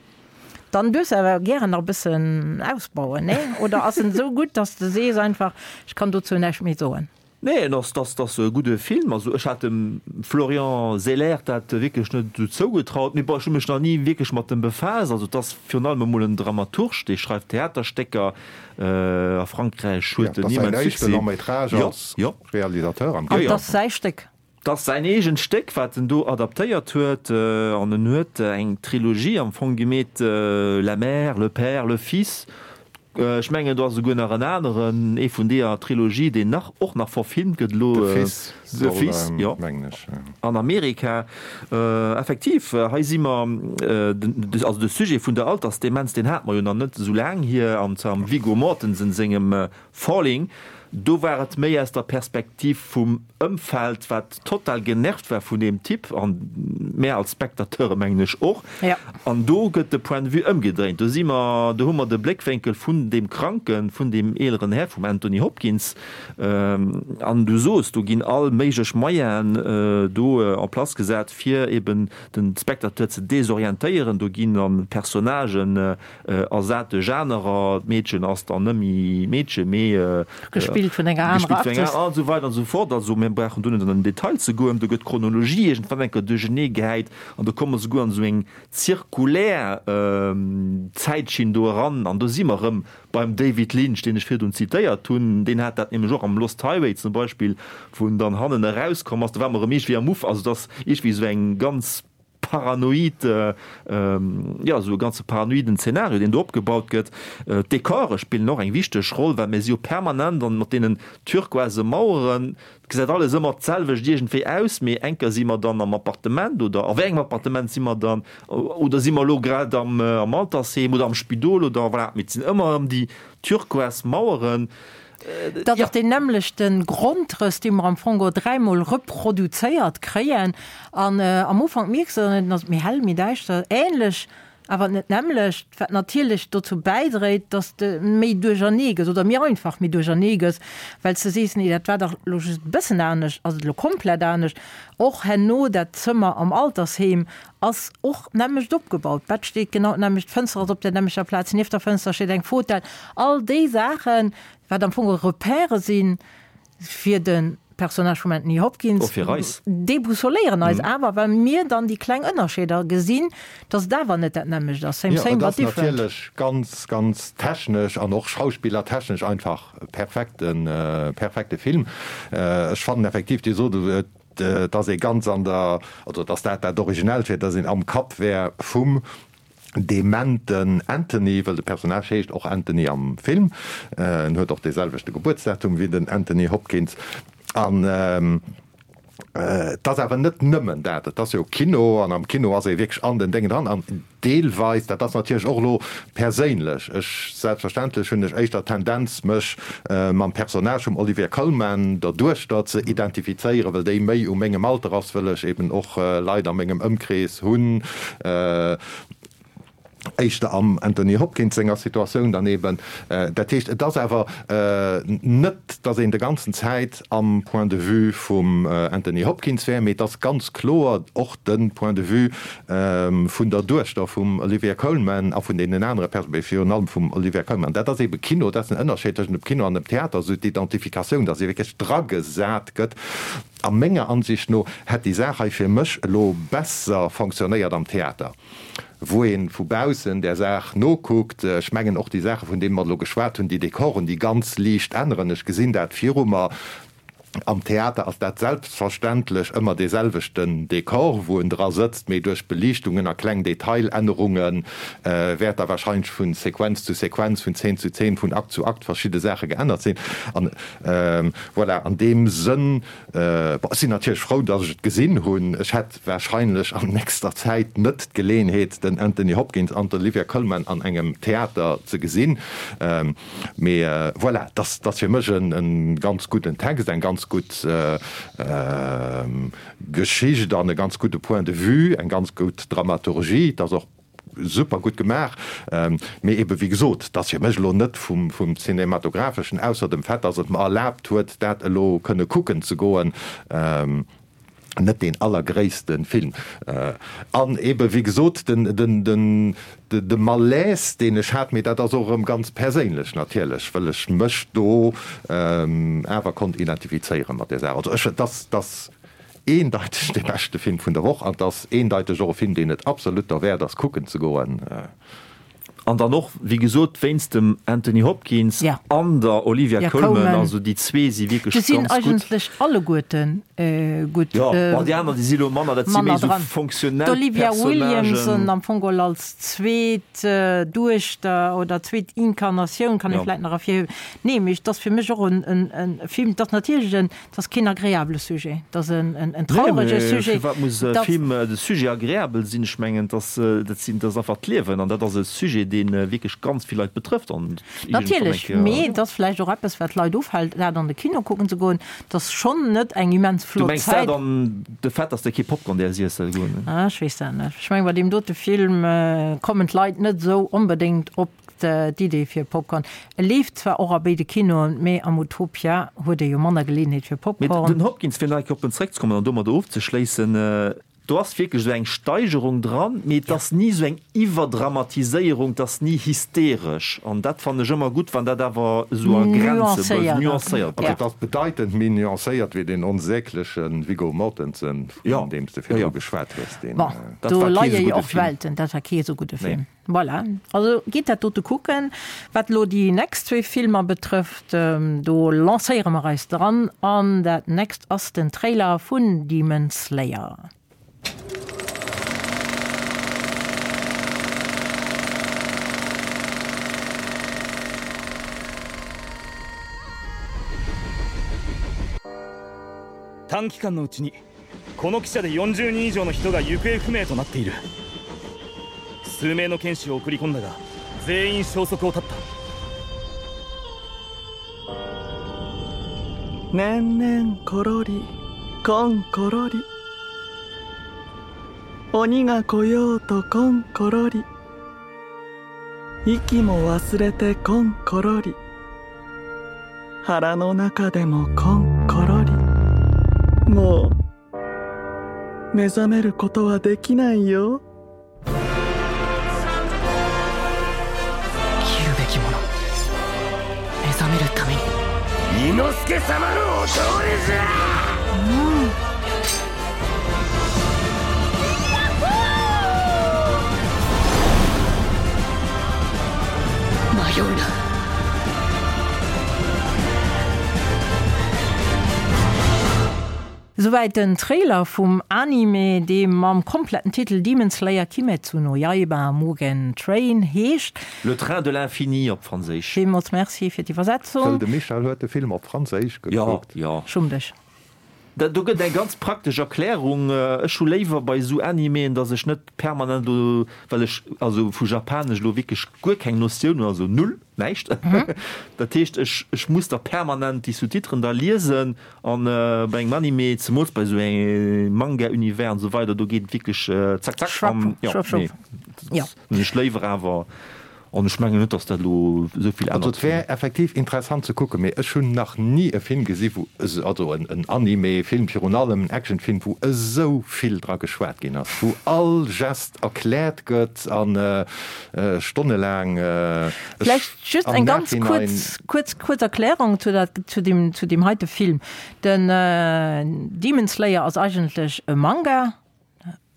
Dann duerfs de awer gären nach e bëssen ausbauen, nee? Oder ass en esou gutt, dass de sees einfach, ech kann dozou näischt méi soen? Nee, en ass, dass, dass e gudde Film. Also ech hat dem Florian Zeller dat wierklech net esou zougetraut, mee bon, ech hu mech nach ni wierklech mat em befaasst. Also et ass virun allem emol en Dramaturg, dee schreift Theaterstécker. A Frankräich huet en immens Succès. Dat ass säin éischte Long-métrage als Realisateur am Kino. An et ass säi Stéck. 't ass säin eegent Stéck, wat en do adaptéiert huet, an en huet eng Trilogie am Fong gemeet, La mère, le père, le fils. Ech mengen, do ass esouguer nach en aneren, ee vun deeër Trilogie, deen nach, och nach verfilmt gëtt elo, De Fils, De Fils, jo, an Amerika. Effektiv, hei si mer, also de Sujet vun der Altersdemenz, deen hate mer jo nach net esou laang hier, an zwar am Viggo Mortensen sengem Falling. Do war et méi aus der Perspektiv vum Ëmfeld, wat total genervt war vun deem Typ, an mär als Spectateure mengen ech och. An do gëtt de Point de vue ëmgedréint. Do si mer, do hu mer de Bléckwénkel vun deem Kranken, vun deem eeleren Här, vum Anthony Hopkins. An du sos, do ginn all méiglech Moyenen do en place gesat, fir eben de Spectateur ze desorientéieren. Do ginn dann Personnagen Ersat duerch anerer, d'Meedchen ass dann net méi Meedchen, mee gespillt vun enger anerer Actrice. An esou weider an esou fort. Also mir brauchen do net an den Detail ze goen. Do gëtt d'Chronologie iergendwann eng Kéier duerchenee gehäit an do komme mer souguer an esou eng zirkulär Zäitschinn do eran. An do si mer erëm beim David Lynch, deen ech virdrun zitéiert hunn. Deen hat dat nämlech och am Lost Highway zum Beispill, wou en dann hannen erauskomm ass. Do war mer erëm iergendwéi am Uff. Also et ass iergendwéi esou eng ganz paranoid, jo, esou e ganze paranoiden Zeenario, deen do opgebaut gëtt. D'Dekore spillen och eng wichteg Roll, well mir si jo permanent an mat deenen turquoise Maueren. Et gesäit alles ëmmer d'selwecht iergendwéi aus, mee eng Kéier si mer dann am Appartement oder a wéi engem Appartement si mer dann oder si mer elo grad am Altersheem oder am Spidol oder voilà, mee et sinn ëmmer erëm déi turquoise Maueren. Et ass och deen nämmlechte Grondrëss, dee mer am Fong och dräimol reproduzéiert kréien. An am Ufank mierks de dann net, dann ass et méi hell, méi däischter, änlech, awer net d'nämmlecht, wat natierlech dozou bäidréit, dass de méi duerchernee gëss oder méi einfach méi duerchernee gëss, well s de sees, nee, dat war dach elo just e bëssen anescht, ass et elo komplett anescht. Och herno dat Zëmmer am Altersheem ass och d'nämmlecht opgebaut, d'Bett steet genau d'nämmlecht, d'Fënster ass op der nämmlechter Plaz, nieft der Fënster steet eng Fotell, all déi Saachen, wat am Fong Repèrë si fir de Personnage vum Anthony Hopkins, Och fir eis. déboussoléieren eis awer, well mir dann déi kleng Ënnerscheeder gesinn, dass et awer net dat nämmlecht ass, same Jo, same et but ass different. natierlech ganz, ganz technesch an och schauspillertechnesch einfach e perfekte, perfekte Film. Ech fannen effektiv, Dir sot et, dass ee ganz an der, also dass dat dat Originellt wier, dass een am Kapp wär vum dementen Anthony, well de Personnage heescht och Anthony am Film, en huet och dee selwechte Gebuertsdatum wéi den Anthony Hopkins. An et ass awer net nëmmen dat, et ass jo Kino an am Kino ass ee wierklech an den Déngen dran an Deelweis, dat ass natierlech och elo perséinlech, ech, selbstverständlech hunn ech éischter d'Tendenz mech mam Personnage vum Olivia Colman, der Duechter, ze identifizéieren, well déi méi u mengem Alter ass, wëll ech eben och Leit a mengem Ëmkrees hunn, éischter am Anthony Hopkins senger Situatioun dann eben. Dat heescht, et ass awer net, datt een de ganzen Zäit am Point de vue vum Anthony Hopkins wär, mee et ass ganz kloer och de Point de vue vun der Duechter vum Olivia Colman a vun deenen anere Perso-, mee virun allem vum Olivia Colman. Dat ass eebe Kino, dat ass den Ënnerscheed tëschent dem Kino an dem Theater, esou d'Identifikatioun, datt ee wierklech dragesat gëtt. A menger Ansicht no hätt déi Saach hei fir mech elo besser fonctionnéiert am Theater, wou ee vu baussen där Saach nokuckt. Ech mengen och déi Saache vun deene mer elo geschwat hunn, déi Dekoren, déi ganz liicht änneren, ech gesinn dat viru mer. Am Theater ass dat selbstverständlech ëmmer dee selwechten Dekor, wou en dra sëtzt, mee duerch Beliichtungen a kleng Detailännerunge wäert da wahrscheinlech vu Sequenz zu Sequenz, vun Zeen zu Zeen, vun Akt zu Akt verschidde Saache geännert sinn. An voilà, an deem Sënn, bon, ech sinn natierlech frou, datt ech et gesinn hunn. Ech hätt wahrscheinlech an nächster Zäit net d'Geleeënheet, den Anthony Hopkins an d'Olivia Colman an engem Theater ze gesinn. Mee voilà, dat ass fir mech e ganz gudden Text, eng ganz gutt Geschicht an e ganz gudde Point de vue, eng ganz gutt Dramaturgie. Et ass och super gutt gemaach. Mee ebe wéi gesot, et ass fir mech elo net vum Cinematographeschen, ausser dem Fait, datt et mer erlaabt huet, dat elo kënne kucken ze goen, net deen allergréisste Film. An ebe wéi gesot, de Malaise, deen ech hat, mee dat ass och erëm ganz perséinlech natierlech, wëll ech mech do awer konnt identifizéiere mat där Saach. Also ech, et ass, et ass eendeiteg dee beschte Film vun der Woch an et ass eendeiteg och e Film, deen et absolut derwäert ass kucken ze goen. An dann och, wéi gesot, wéinst dem Anthony Hopkins an der Olivia Colman, also déi zwee si wierklech ganz gutt. Déi sinn eigentlech alleguerte gutt. Jo, bon, déi aner, déi si lo manner, dat si méi esou fonctionnel Personnagen. D'Olivia Williams am Fong geholl als zweet Duechter oder zweet Inkarnatioun kann ee vläicht nach ervirhiewen. Nee, mee et ass fir mech och en Film, et ass natierlech en, et ass keen agreabele Sujet, et ass en traurege Sujet. Firwat muss e Film, de Sujet agreabel sinn? Ech mengen, dat ass, dat sinn, dat ass einfach d'Liewen an dat ass e Sujet, deen. dee wierklech ganz vill Leit betrëfft an Natierlech, mee et ass vläicht och eppes, wat d'Leit ofhält, dat an de Kino kucken ze goen. Et ass schonn net eng immens flott Zäit. Du mengs dat an de Fait, dass der kee Popcorn däers iesse goen? Ah, ech weess dat net. Ech mengen, bei deem dote Film kommen d'Leit net esou onbedéngt op d'Idee fir Popcorn. E leeft zwar och a béide Kinoen, mee am Utopia huet ee jo manner Geleeënheet fir Mee Popcorn. den Hopkins, fir nach eng Kéier op en zeréckzekommen an domadder ofzeschléissen, Do ass wierklech esou eng Steigerung dran, mee et ass ni esou eng Iwwerdramatiséierung, et ass ni hysteresch an dat fannen ech ëmmer gutt, wann dat awer esou a Grenze bleift, nuancéiert Also bleift. et ass bedeitend méi nuancéiert wéi deen onsägleche Viggo Mortensen, vun deem s de virdru geschwat hues. Deen. Bon, Dat do war kee leie esou jo gudde och Film. Welten. Dat war kee esou gudde Nee. Film. Voilà, also gitt dat dote kucken. Wat elo déi next zwee Filmer betrëfft, do lancéiere mer eis dran an dat next ass den Trailer vun Demon Slayer. 短期間のうちにこの汽車で40人以上の人が行方不明となっている数名の剣士を送り込んだが全員消息を絶った年々ころりこんころり鬼が来ようとこんころり息も忘れてこんころり腹の中でもこんころりもう目覚めることはできないよ生きるべきもの目覚めるために伊之助様のお通りじゃ、うん迷うな Souwäit den Trailer vum Anime, dee mam kompletten Titel Demon Slayer Kimetsu no Yaiba Mugen Train heescht. Le train de l'infini op Franséisch. Villmools Merci fir d'Iwwersetzung. Wëll de Michel huet de Film op Franséisch gekuckt. Jo, jo. Schumm dech. Do gëtt eng ganz praktesch Erklärung. Ech hu léiwer bei esou Animeen, dass ech net permanent elo, well ech also vu Japanesch elo wierklech guer keng Notioun hunn, also null, näischt. Dat heescht, ech ech muss da permanent déi Sous-titren da liesen. An bei engem Anime, zemools bei esou engem Manga-Univers an esou weider, do geet et wierklech zack zack. An jo, nee, dat hunn ech léiwer awer. An ech mengen net, dass dat elo esou vill Also ännert. et wär effektiv interessant ze kucken, mee ech hunn nach ni e Film gesi wou, also en Anime-Film virun allem, en Action-Film, wou esou vill dra geschwat ginn ass, wou all Gest erkläert gëtt a stonnelaang. Ech Vläicht just am eng ganz Nachhinein. kuerz, kuerz, kuerz Erklärung zu dat, zu deem, zu deem heite Film. Den Demon Slayer ass eigentlech e Manga.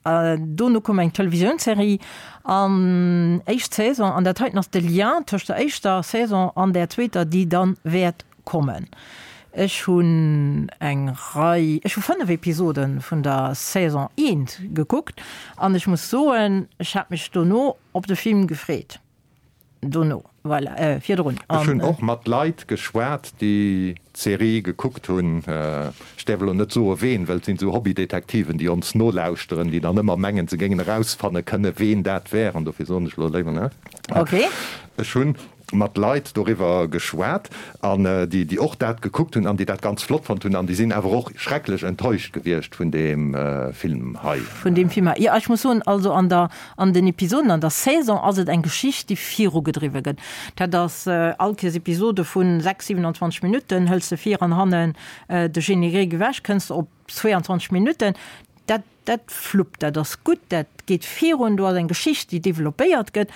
Dono koum eng Televisiounsserie an éischt Saison, an dat heiten ass de Lien tëscht der éischter Saison an där zweeter, déi dann wäert kommen. Ech hunn eng Rei, ech hu 5 Episode vun der Saison eent gekuckt an ech muss soen, ech hat mech dono op de Film gefreet. Dono, voilà, virdrun. Ech hunn och mat Leit geschwat, déi d'Serie gekuckt hunn. Ech däerf elo net soe ween, well et sinn esou Hobbydetektiven, déi ons nolauschteren, déi dann ëmmer mengen, se géingen erausfanne kënne ween dat wär, an dofir soen ech elo léiwer net. Okay. Ech hunn mat Leit doriwwer geschwat, an déi, déi och dat gekuckt hunn an déi dat ganz flott fonnt hunn, an déi sinn awer och schrecklech enttäuscht gewiescht vun deem Film hei. Vun deem Film hei. Jo, ech muss soen, also an der, an den Episoden, an der Saison ass et eng Geschicht, déi virugedriwwe gëtt. Dat ass all Kéiers Episode vu 6, 27 Minutten, hëls de vir an hannen de Générique ewech, kënns de op 22 Minutten. Dat, dat fluppt, dat ass gutt, dat geet virun, do ass eng Geschicht, déi developpéiert gëtt.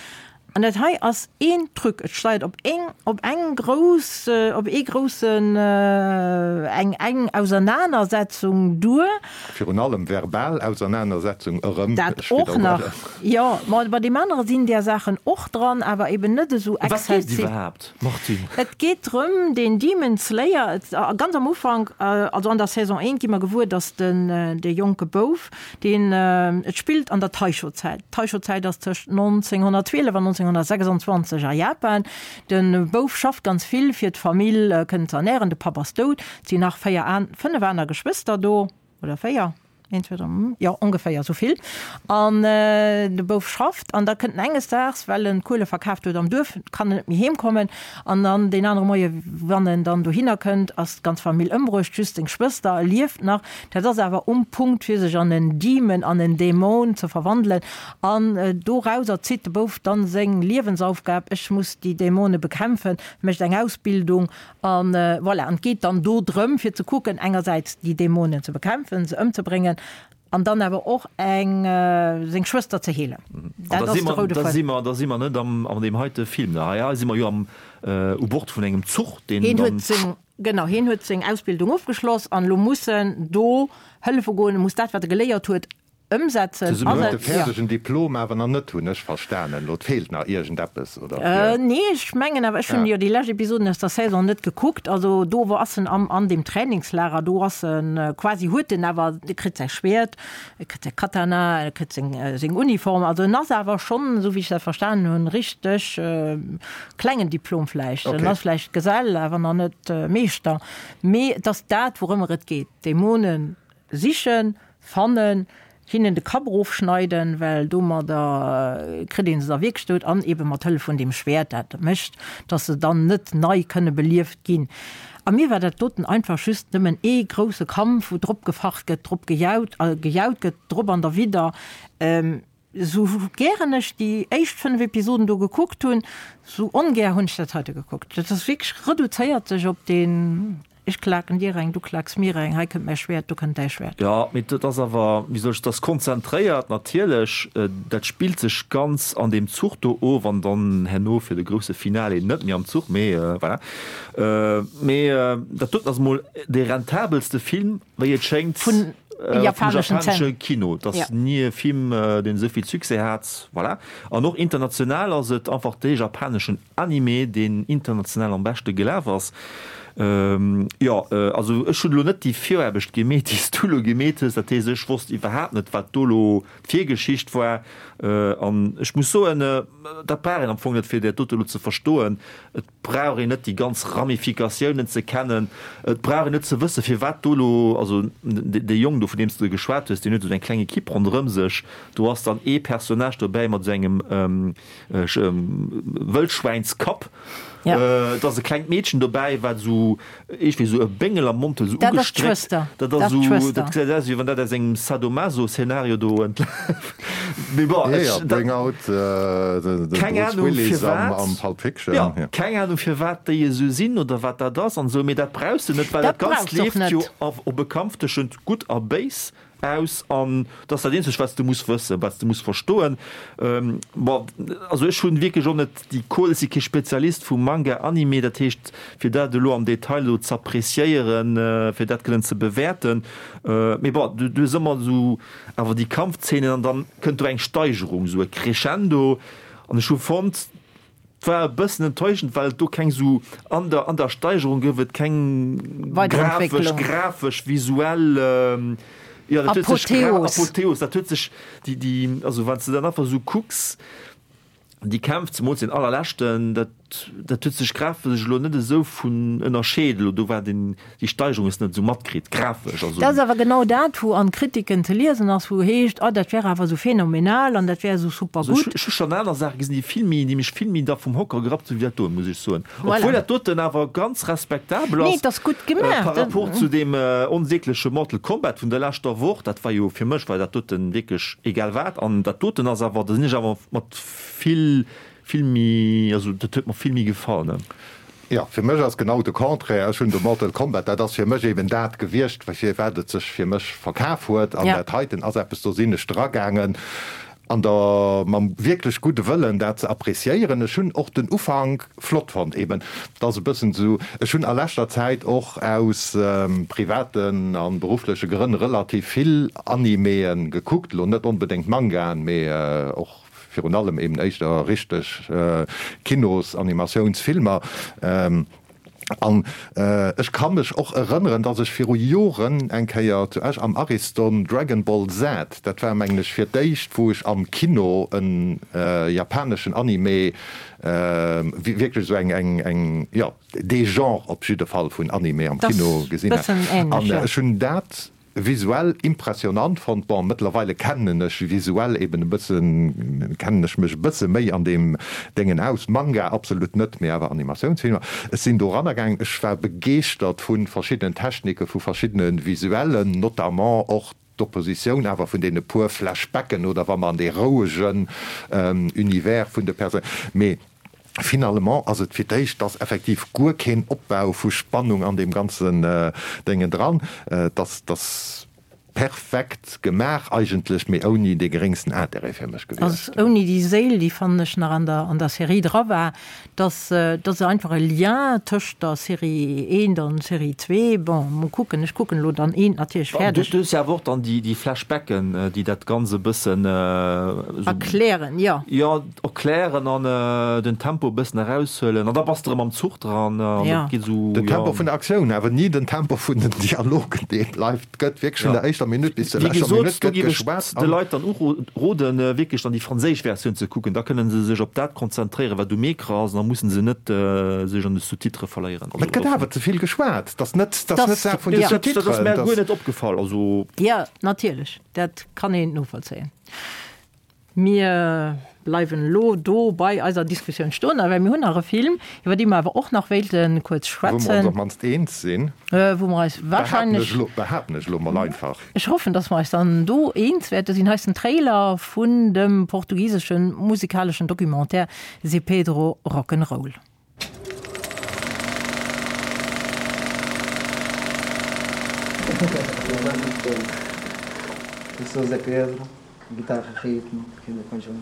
An dat hei ass een Truc, et steiert op eng, op eng grouss, op ee groussen, eng, eng Ausernanersetzung duer. Virun allem verbal Ausernanersetzung erëm, Dat ech och nach, widderhuelen. jo. Ma bei deem anere sinn där Saachen och dran, awer eben net esou Ëm wat geet et exzessiv. iwwerhaapt, Martine? Et geet drëm, deen Demon Slayer, et, ganz am Ufank, also an der Saison eent gi mer gewuer, datt den, dee jonke Bouf, Deen, et spillt an der Taisho-Zäit. D'Taisho-Zäit ass tëscht 1912 an 1926 a Japan. De Bouf schafft ganz vill, fir d'Famill kënnen ze ernären. De Papp ass dout. Et sinn nach 4 an, 5 aner Geschwëster do, oder 4? Een, zwee, dräi, jo, ongeféier esou vill. An de Bouf schafft an da kënnt en enges Daags, well en d'Kuele verkaaft huet am Duerf, kann en net méi heem kommen. An dann deen anere Moie wann en dann dohinner kënnt, ass d'ganz Famill ëmbruecht, just seng Schwëster lieft nach. Dat ass awer um Punkt fir sech an en Demon, an en Dämon ze verwandelen. An dorauser zitt de Bouf dann seng Liewensaufgab, Ech muss déi Dämone bekämpfen, mécht eng Ausbildung An voilà, an et geet dann do drëm, fir ze kucken, engersäits déi Dämonen ze bekämpfen, se ëmzebréngen, an dann awer och eng, seng Schwëster ze heelen. Dat ass de roude Fuedem. Da si mer, da si mer net am, an deem heite Film. Hei, hei si mer jo am, u Bord vun engem Zuch, deen dann. Hien huet seng, genau, hien huet seng Ausbildung ofgeschloss an elo muss en do hëllefe goen, e muss dat, wat e geléiert huet, Ëmsetzen. Zesummen huet de fäerdegen Diplom awer nach net, hunn ech verstanen. Elo, et feelt nach iergendeppes, oder? Fir. Nee, ech mengen awer, ech hunn jo déi lescht Episoden aus der Saison net gekuckt. Also do wou ass en am an deem Trainingslager, do ass en quasi, huet en awer, e kritt säi Schwäert, e kritt säi Katana, e kritt seng seng Uniform. Also en ass awer schonn, esou wéi ech dat verstanen hunn, richteg klengen Diplom vläicht. En ass vläicht Gesell, awer nach net Meeschter. Mee et ass dat, wourëmmer et geet, Dämonen Sichen, fannen, hinnen de Kapp erofschneiden, well domadder kritt een se da wierklech dout, an ebe mat Hëllef vun deem Schwäert, dat mécht, dass se dann net nei kënne belieft ginn. A mir war dat doten einfach just nëmmen ee grousse Kampf, wou drop gefacht gëtt, drop gejaut gejaut gëtt, drop an derwidder. Sou gären ech déi éischt 5 Episoden do gekuckt hunn, sou ongär hunn ech dat heite gekuckt. Dat ass wierklech, reduzéiert sech op deen ech klaken dir eng, du klaks mir eng, hei kënnt mäi Schwäert, do kënnt däi Schwäert. Jo, mee dat ass awer, wéi soll ech, dat ass konzentréiert natierlech, dat spillt sech ganz an deem Zuch do of an dann herno fir de grousse Finale net méi am Zuch, mee voilà. Mee dat doten ass emol dee rentabelste Film Wéi et schéngt vun japanesche Kino. Et ass ni e Film, deen esou vill Succès hat. Voilà. An och international ass et einfach dee japaneschen Anime, deen international am beschte gelaf ass. Jo, also ech hunn elo net déi Viraarbecht gemeet, déi s du elo gemeet hues. Dat heescht, ech wosst iwwerhaapt net, wat do elo d'Virgeschicht war. An ech muss soen, dat brauch een am Fong net, fir dat dote elo ze verstoen. Et brauch een net déi ganz Ramifikatiounen ze kennen, et brauch een net ze wëssen, firwat do elo, also dee Jong do, vun deem s de geschwat hues, deen huet esou eng kleng Ekipp ronderëm sech, do ass dann ee Personnage dobäi mat esou engem Wëllschwäinskapp, et ass e klengt Meedchen dobäi, wat esou Iergendwéi esou e Béngel am Mond huet, esou Dat ass ugestréckt. d'Schwëster. Dat ass esou, dat gesäit aus, wéi wann dat aus engem Sadomaso-Szenario do entleeft. Mee bon, Ja, ech, ja, dat, Bring Out de, de keng Bruce Ahnung Willis am, firwat, am Pulp Fiction. jo, keng Ahnung firwat déi esou sinn oder wat dat ass an esou, mee dat brauchs de net, well Dat dat Ganzt brauchs och leeft jo net. op e Kampf tëschent Gutt a Béis. Aus an dat ass dat eenzegt wat s de muss wëssen, wat s de muss verstoen. Bon, also ech hunn wierklech och net déi Kohl, ech si kee Spezialist vu Manga, Anime, dat heescht fir dat elo am Detail elo z'appréciéieren, fir dat kënnen ze bewäerten. Mee bon, du hues ëmmer esou awer déi Kampfzeenen an dann kënnt do eng Steigerung, esou e Crescendo an ech hu fonnt, 't war e bëssen enttäuschend, well et do keng sou, an der, an der Steigerung gouf et keng grafesch, grafesch, visuell, jo, dat huet sech, Apotheos. Apotheos, dat huet sech, déi, déi, also wann s de dann einfach sou kucks, déi Kämpf, zemools deen allerleschten, dat, dat huet sech grafesch elo net esou vun ënnerscheet, elo do war den, Déi Steigerung hues de net esou matkritt, grafesch also. Dat ass awer genau dat, wou an Kritiken ze liesen ass, wou heescht, oh dat wär awer esou phänomenal an dat wär esou super gutt. Ech hu schonn aner Saache gesinn, déi vill méi, déi mech vill méi da vum Hocker gerappt hunn, wéi dat doen, muss ech soen. Obwuel dat doten awer ganz respektabel ass. Nee, et ass gutt gemaach. Par rapport zu deem onsägleche Mortal Kombat vun der leschter Woch, dat war jo, fir mech war dat doten wierklech egal wat. An dat doten ass awer, da sinn ech awer mat vill, vill méi, also dat huet mer vill méi gefall, ne. Jo, fir mech ass genau de Contraire. Ech hunn de Mortal Kombat, dat ass fir mech eben dat gewiescht, firwat et sech fir mech verkaf huet. An dat heiten ass eppes, do sinn ech dragaangen an der mam wierklech gudde Wëllen, dat ze appréciéieren. Ech hunn och den Ufank flott fonnt, eben, et ass e bëssen esou, ech hunn a leschter Zäit och aus privaten a beruffleche Grënn relativ vill Animeë gekuckt, elo net onbedéngt Mangaen, mee och Virun allem eben éischter richteg Kinos-Animatiounsfilmer. An ech ka mech och erënneren, dass ech viru Joren eng Kéier zu Esch am Ariston Dragon Ball Z, dat war mengen ech fir d'éischt wou ech am Kino en japaneschen Anime, wierklech esou eng, eng, eng, jo, dee Genre op jidde Fall vun Anime am Kino gesinn hat. An ech hunn dat. Visuell impressionant fonnt. Bon, mëttlerweile kennen ech visuell eben e bëssen, kennen ech mech e bësse méi an deem Déngen aus. Manga absolut net, mee awer Animatiounsfilmer. Ech sinn do eranner gaangen, ech war begeeschtert vu verschiddenen Technike, vu verschiddene Visuellen, notamment och d'Oppositioun awer vun deene puer Flashbacken oder wa mer an dee rouegen Univers vun de Perso. Mee Finalement ass et fir d'éischt, dass effektiv guer keen Opbau vu Spannung an deem ganzen Déngen dran, dass dass perfekt gemaach eigentlech, mee ouni dee geréngsten Intérêt fir mech gewiescht. Ass ouni déi Séil, déi fannen ech nach an der an der Serie dra war, dass dass einfach e Lien tëscht der Serie eent an Serie zwee, bon mol kucken, ech kucken elo dann eent natierlech fäerdeg. Du hues jo awer och dann déi déi Flashbacken, déi dat Ganzt e bëssen esou. Erklären, jo. Jo. Erklären an den Tempo e bëssen eraushuelen an da bass de erëm am Zuch dran an dat geet esou, Den Tempo vun der Aktioun, awer ni den Tempo vun den Dialogen, dee bleift, gëtt wierklech vun der éischter Minutt bis zur Wéi leschter gesot, Minutt do gëtt géif ech geschwat de an. Leit dann uroden, wierklech dann déi franséisch Versioun ze kucken, da kënne se sech op dat konzentréieren, wat um Ecran ass an da musse se net sech an de Sous-titrë verléieren. Mä et gëtt awer ze vill geschwat, dat ass net, dat ass net d'Saach vun de Sous-titrën. Dat ass mär guer net opgefall, also. Jo, natierlech, dat kann een novollzéien. Mir bleiwen elo do bei eiser Diskussioun stoen, well mir hunn nach e Film, iwwer dee mer awer och nach wéilte kuerz schwätzen. Wou mer ons op d'mannst eens sinn. Wou mer eis wahrscheinlech. Behaapten ech elo mol einfach. Ech hoffen, dass mer eis dann do eens wäerte sinn. Hei ass den Trailer vun dem portugisesche musikaleschen Documentaire Zé Pedro Rock'n'Roll. Eu sou Zé Pedro, guitarra ritmo aqui no conjunto.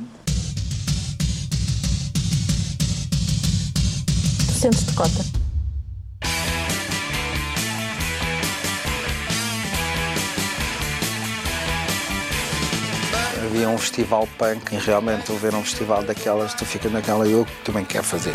Tu sentes-te cota? Havia um festival punk e realmente ver um festival daquelas, tu fica naquela eu também quero fazer.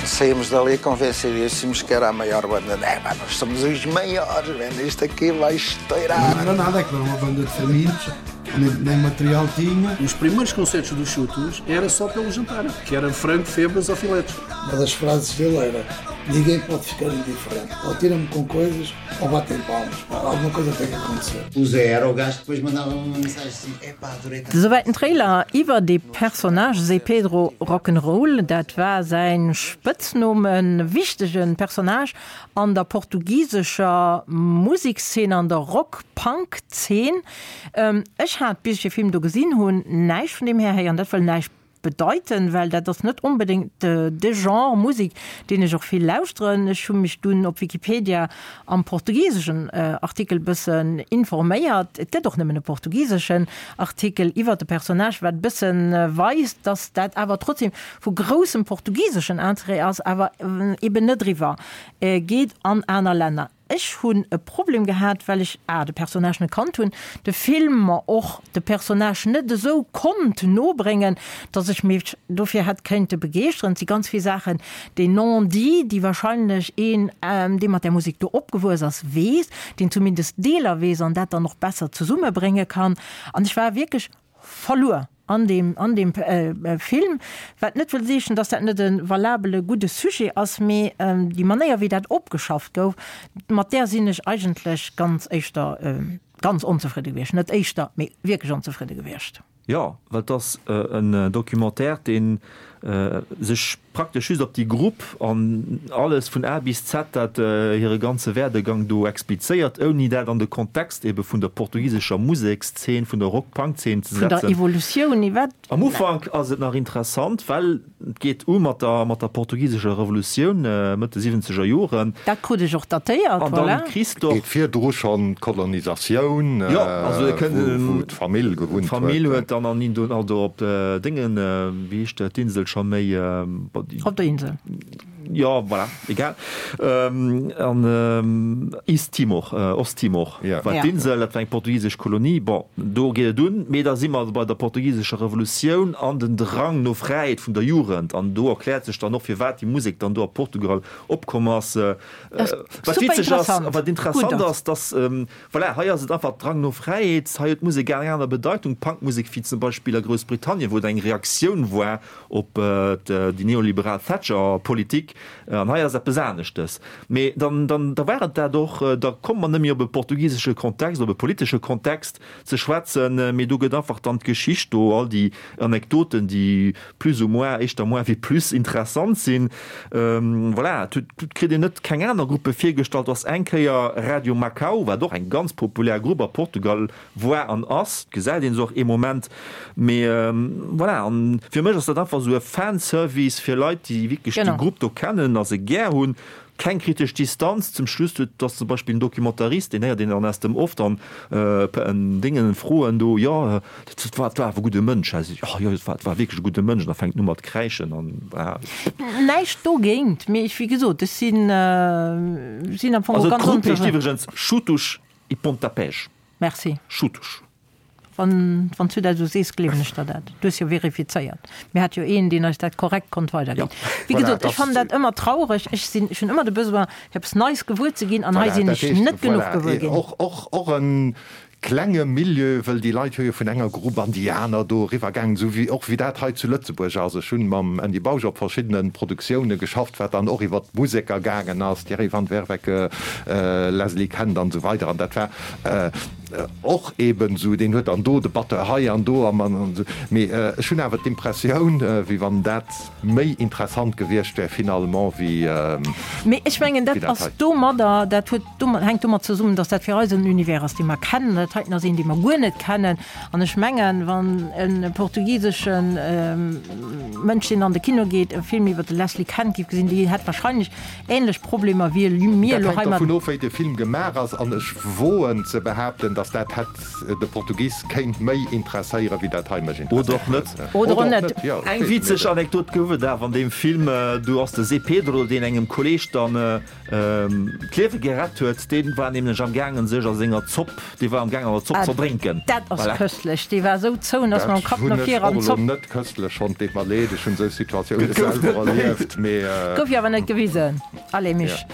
Saímos dali convencidíssimos que era a maior banda. É, pá, nós somos os maiores, man, isto aqui vai estourar. Não era nada, aquilo era uma banda de famintos, nem, nem material tinha. Os primeiros concertos dos Chutos era só pelo jantar, que era frango, febras ou filetes. Uma das frases dele era: Ninguém pode ficar indiferente, ou tira-me com coisas ou batem palmas. Pá, alguma coisa tem que acontecer. O Zé era o gajo que depois mandava uma mensagem assim: Epá, adorei estar. Souwäit den Trailer iwwer de Personnage Zé Pedro Rock'n'Roll. Dat war säin Spëtznumm, e wichtege Personnage an der portugisescher Musekszeen, an der Rock-Punk-Zeen. Ech hat, bis ech de Film do gesinn hunn, näischt vun deem Här héieren. Dat wëll näischt bedeiten, well dat ass net onbedéngt de Genre Musek, deen ech och vill lauschteren. Ech hu mech dunn op Wikipedia am portugiseschen Artikel bëssen informéiert. Et gëtt och nëmmen e portugiseschen Artikel iwwer de Personnage, wat e bëssen weist, dass dat awer trotzdem vu groussem portugiseschen Interêt ass, awer eben net eriwwer geet an aner Länner. Ech hunn e Problem gehat, well ech a de Personnage net kannt hunn, de Film mer och de Personnage net esou konnt nobréngen, dass ech mech dofir hätt kéinte begeeschteren. Et si ganz vill Saachen, déi non-dits, déi wahrscheinlech een, dee mat där Musek do opgewuess ass, weess, deen zumindest Deeler weess an dat dann och besser zesummebrénge kann. An ech war wierklech verluer an deem, an deem Film, wat net wëll seechen, dass dat net e valabele gudde Sujet ass, mee déi Manéier wéi dat opgeschafft gouf, mat där sinn ech eigentlech ganz éischter ganz onzefridde gewiescht, net éischter, mee wierklech onzefridde gewiescht. Jo, well et ass en Documentaire, dee sech praktesch just op déi Grupp an alles vun A bis Z, dat hire ganze Werdegang do explizéiert, ouni dat an de Kontext ebe vun der portugisescher Musekszeen, vun der Rock-Punk-Zeen ze Vun der setzen. Evolutioun iwwer. Am Ufank ass et nach interessant, well et geet u mat der mat der portugisescher Revolutioun, Mëtt de siwwenzeger Joren. Dat krut ech och datéiert, An dann voilà. kriss d'och. Geet virdru schonn d'Kolonisatioun, Jo, also et kënnt wou d'Famill gewunnt huet. D'Famill huet dann an Indo, also op Déngen, wéi heescht dat, d'Insel scho méi? Op der Insel. Jo, voilà, egal. An East Timor, Osttimor war d'Insel, dat war eng portugisesch Kolonie. Bon, do geet et un, mee da si mer bei der portugisescher Revolutioun an den Drang no Fräiheet vun der Jugend. An do erkläert sech dann och, firwat déi Musek dann do a Portugal opkomm ass. Wat witzeg ass, wat interessant ass, dass Voilà, hei ass et einfach Drang no Fräiheet. Hei huet d'Musek eng aner Bedeitung, Punkmusek, wéi zum Beispill a Groussbritannien, wou et eng Reaktioun war op déi neoliberal Thatcher-Politik. An hei ass eppes aneschtes. Mee dann, dann, da war et dat och. Da komme mer net méi op e portugisesche Kontext, op e politesche Kontext ze schwätzen, mee do gëtt einfach dann d'Geschicht do, all déi Anekdoten, déi plus ou moins, éischter moins wéi plus interessant sinn. Voilà, et huet, kritt een net keng aner Gruppe virgestallt. Do ass eng Kéier Radio Macau, wat och eng ganz populär Grupp a Portugal war an ass, et gesäit een se och ee Moment, mee voilà. An fir mech ass dat einfach esou e Fanservice fir Leit, déi wierklech déi Grupp do kennen a se gär hunn. Keng kritesch Distanz. Zum Schluss huet, ass zum Beispill en Documentarist, deen héiert een dann aus dem Off dann en Déngen froen do, jo, dat war, dat war awer e gudde Mënsch, hä? Jo, jo, dat war, dat war wierklech e gudde Mënsch. An da fänkt en u mat kräischen an voilà. Näischt dogéint, mee ech, wéi gesot, ech sinn, sinn am Fong och ganz onsécher. Also d'Grupp heescht iwwregens Xutos e Pontapés. Merci. Xutos. Wann s du dat esou sees, gleewen ech der dat. Du hues jo verifizéiert. Mir hate jo een, deen eis dat korrekt konnt weiderginn. Wéi gesot, ech fannen dat ëmmer traureg. Ech sinn, ech hunn ëmmer de Besoin, fir eppes Neies gewuer ze ginn, an hei sinn ech net genuch gewuer ginn. Och e klenge Milieu, wëll déi Leit hu jo vun enger Grupp an déi aner do eriwwer gaangen, esou wéi och wéi dat hei zu Lëtzebuerg ass. Ech hunn mam Andy Bausch op verschiddene Produktioune geschafft, wat dann och iwwert d'Museker gaangen ass, Thierry van Werveke, Leslie Kent an esou weider. An dat war Och eben esou, deen huet dann do de Batteur hei an do an esou. Mee ech hunn awer d'Impressioun, wéi wann dat méi interessant gewiescht wär finalement wéi dat hei. Mee ech mengen, dat ass domadder, dat huet domat, hänkt domat zesummen, datt dat fir eis en Univers ass, dee mer kennen. Dat heiten ass een, dee mer guer net kennen. An ech mengen, wann e portugisesche Mënsch, deen an de Kino geet, e Film iwwer de Leslie Kent géif gesinn, dee hätt wahrscheinlech Ähnlech Problemer wéi mir elo hei mat. Dat hänkt dervun of, wéi de Film gemaach ass, an ech woen ze behaapten, datt dat hätt de Portugis kéint méi interesséieren, wéi dat hei mech Oder och net. Oder och net. Eng witzeg Anekdot gouf et awer an deem Film, Do ass de Zé Pedro, deen engem Kolleeg dann d'Liewe gerett huet, dee war nämlech am gaangen sech a senger Zopp, dee war am gaangen an der Zopp z'erdrénken. Dat ass köstlech, dee war esou zou en ass mam Kapp no vir an d'Zopp. Dat hunn ech och elo net köstlech fonnt, deet mer leed, ech hunn esou Situatioune selwer erlieft, mee. Gouf jo awer net gewisen. Allez Misch,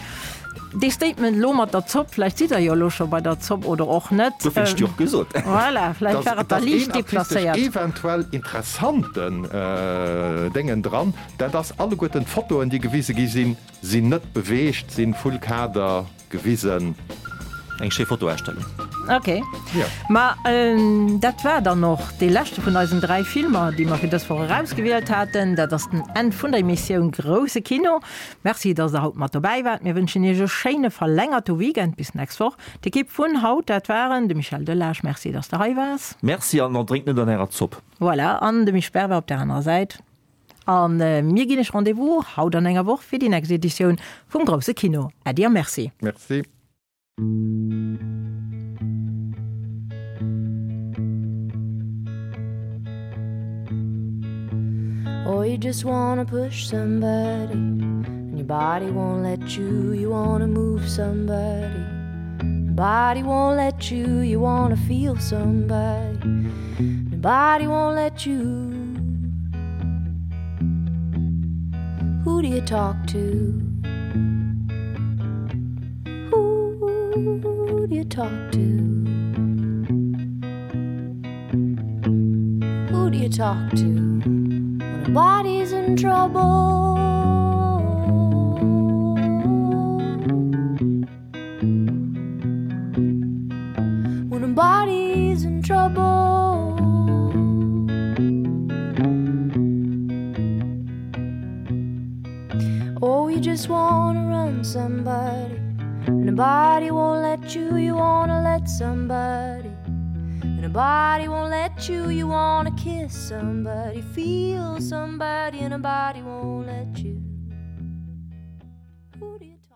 dee Statement elo mat der Zopp, vläicht sidd der jo elo scho bei der Zopp oder och net. Dofir hunn ech déi och gesot. Voilà, vläicht war et da liicht deplacéiert. Et ass een artistesch eventuell interessanten Déngen dran, dat ass alleguerten d'Fotoen déi gewise gi sinn, Sinn net beweegt, sinn full Kader gewisen. Eng schéi Fotoausstellung. Ok, ma dat war dann och dee leschte vun eisen 3 Filmer, déi mer fir dës Woch erausgewielt haten. Dat ass den Enn vun der Emissioun Grousse Kino. Merci, dass der haut mat dobäi waart. Mir wënschen iech e schéine verlängerte Weekend. Bis nächst Woch. D'Ekipp vun haut, dat waren de Michel Delage, Merci, dass de hei waars. Merci an drénkt net an ärer Zopp. Voilà, an de Misch Berber op der anerer Säit. A mir ginn iech Rendez-vous haut an enger Woch fir déi nächst Editioun vum Grousse Kino. Äddi a Merci. Merci. Or you just wanna push somebody and your body won't let you you wanna move somebody your body won't let you you wanna feel somebody your body won't let you Who do you talk to? Who do you talk to? Who do you talk to when a body's in trouble? When a body's in trouble Oh, you just wanna run somebody And a body won't let you, you wanna let somebody And a body won't let you, you wanna kiss somebody Feel somebody and a body won't let you Who do you talk?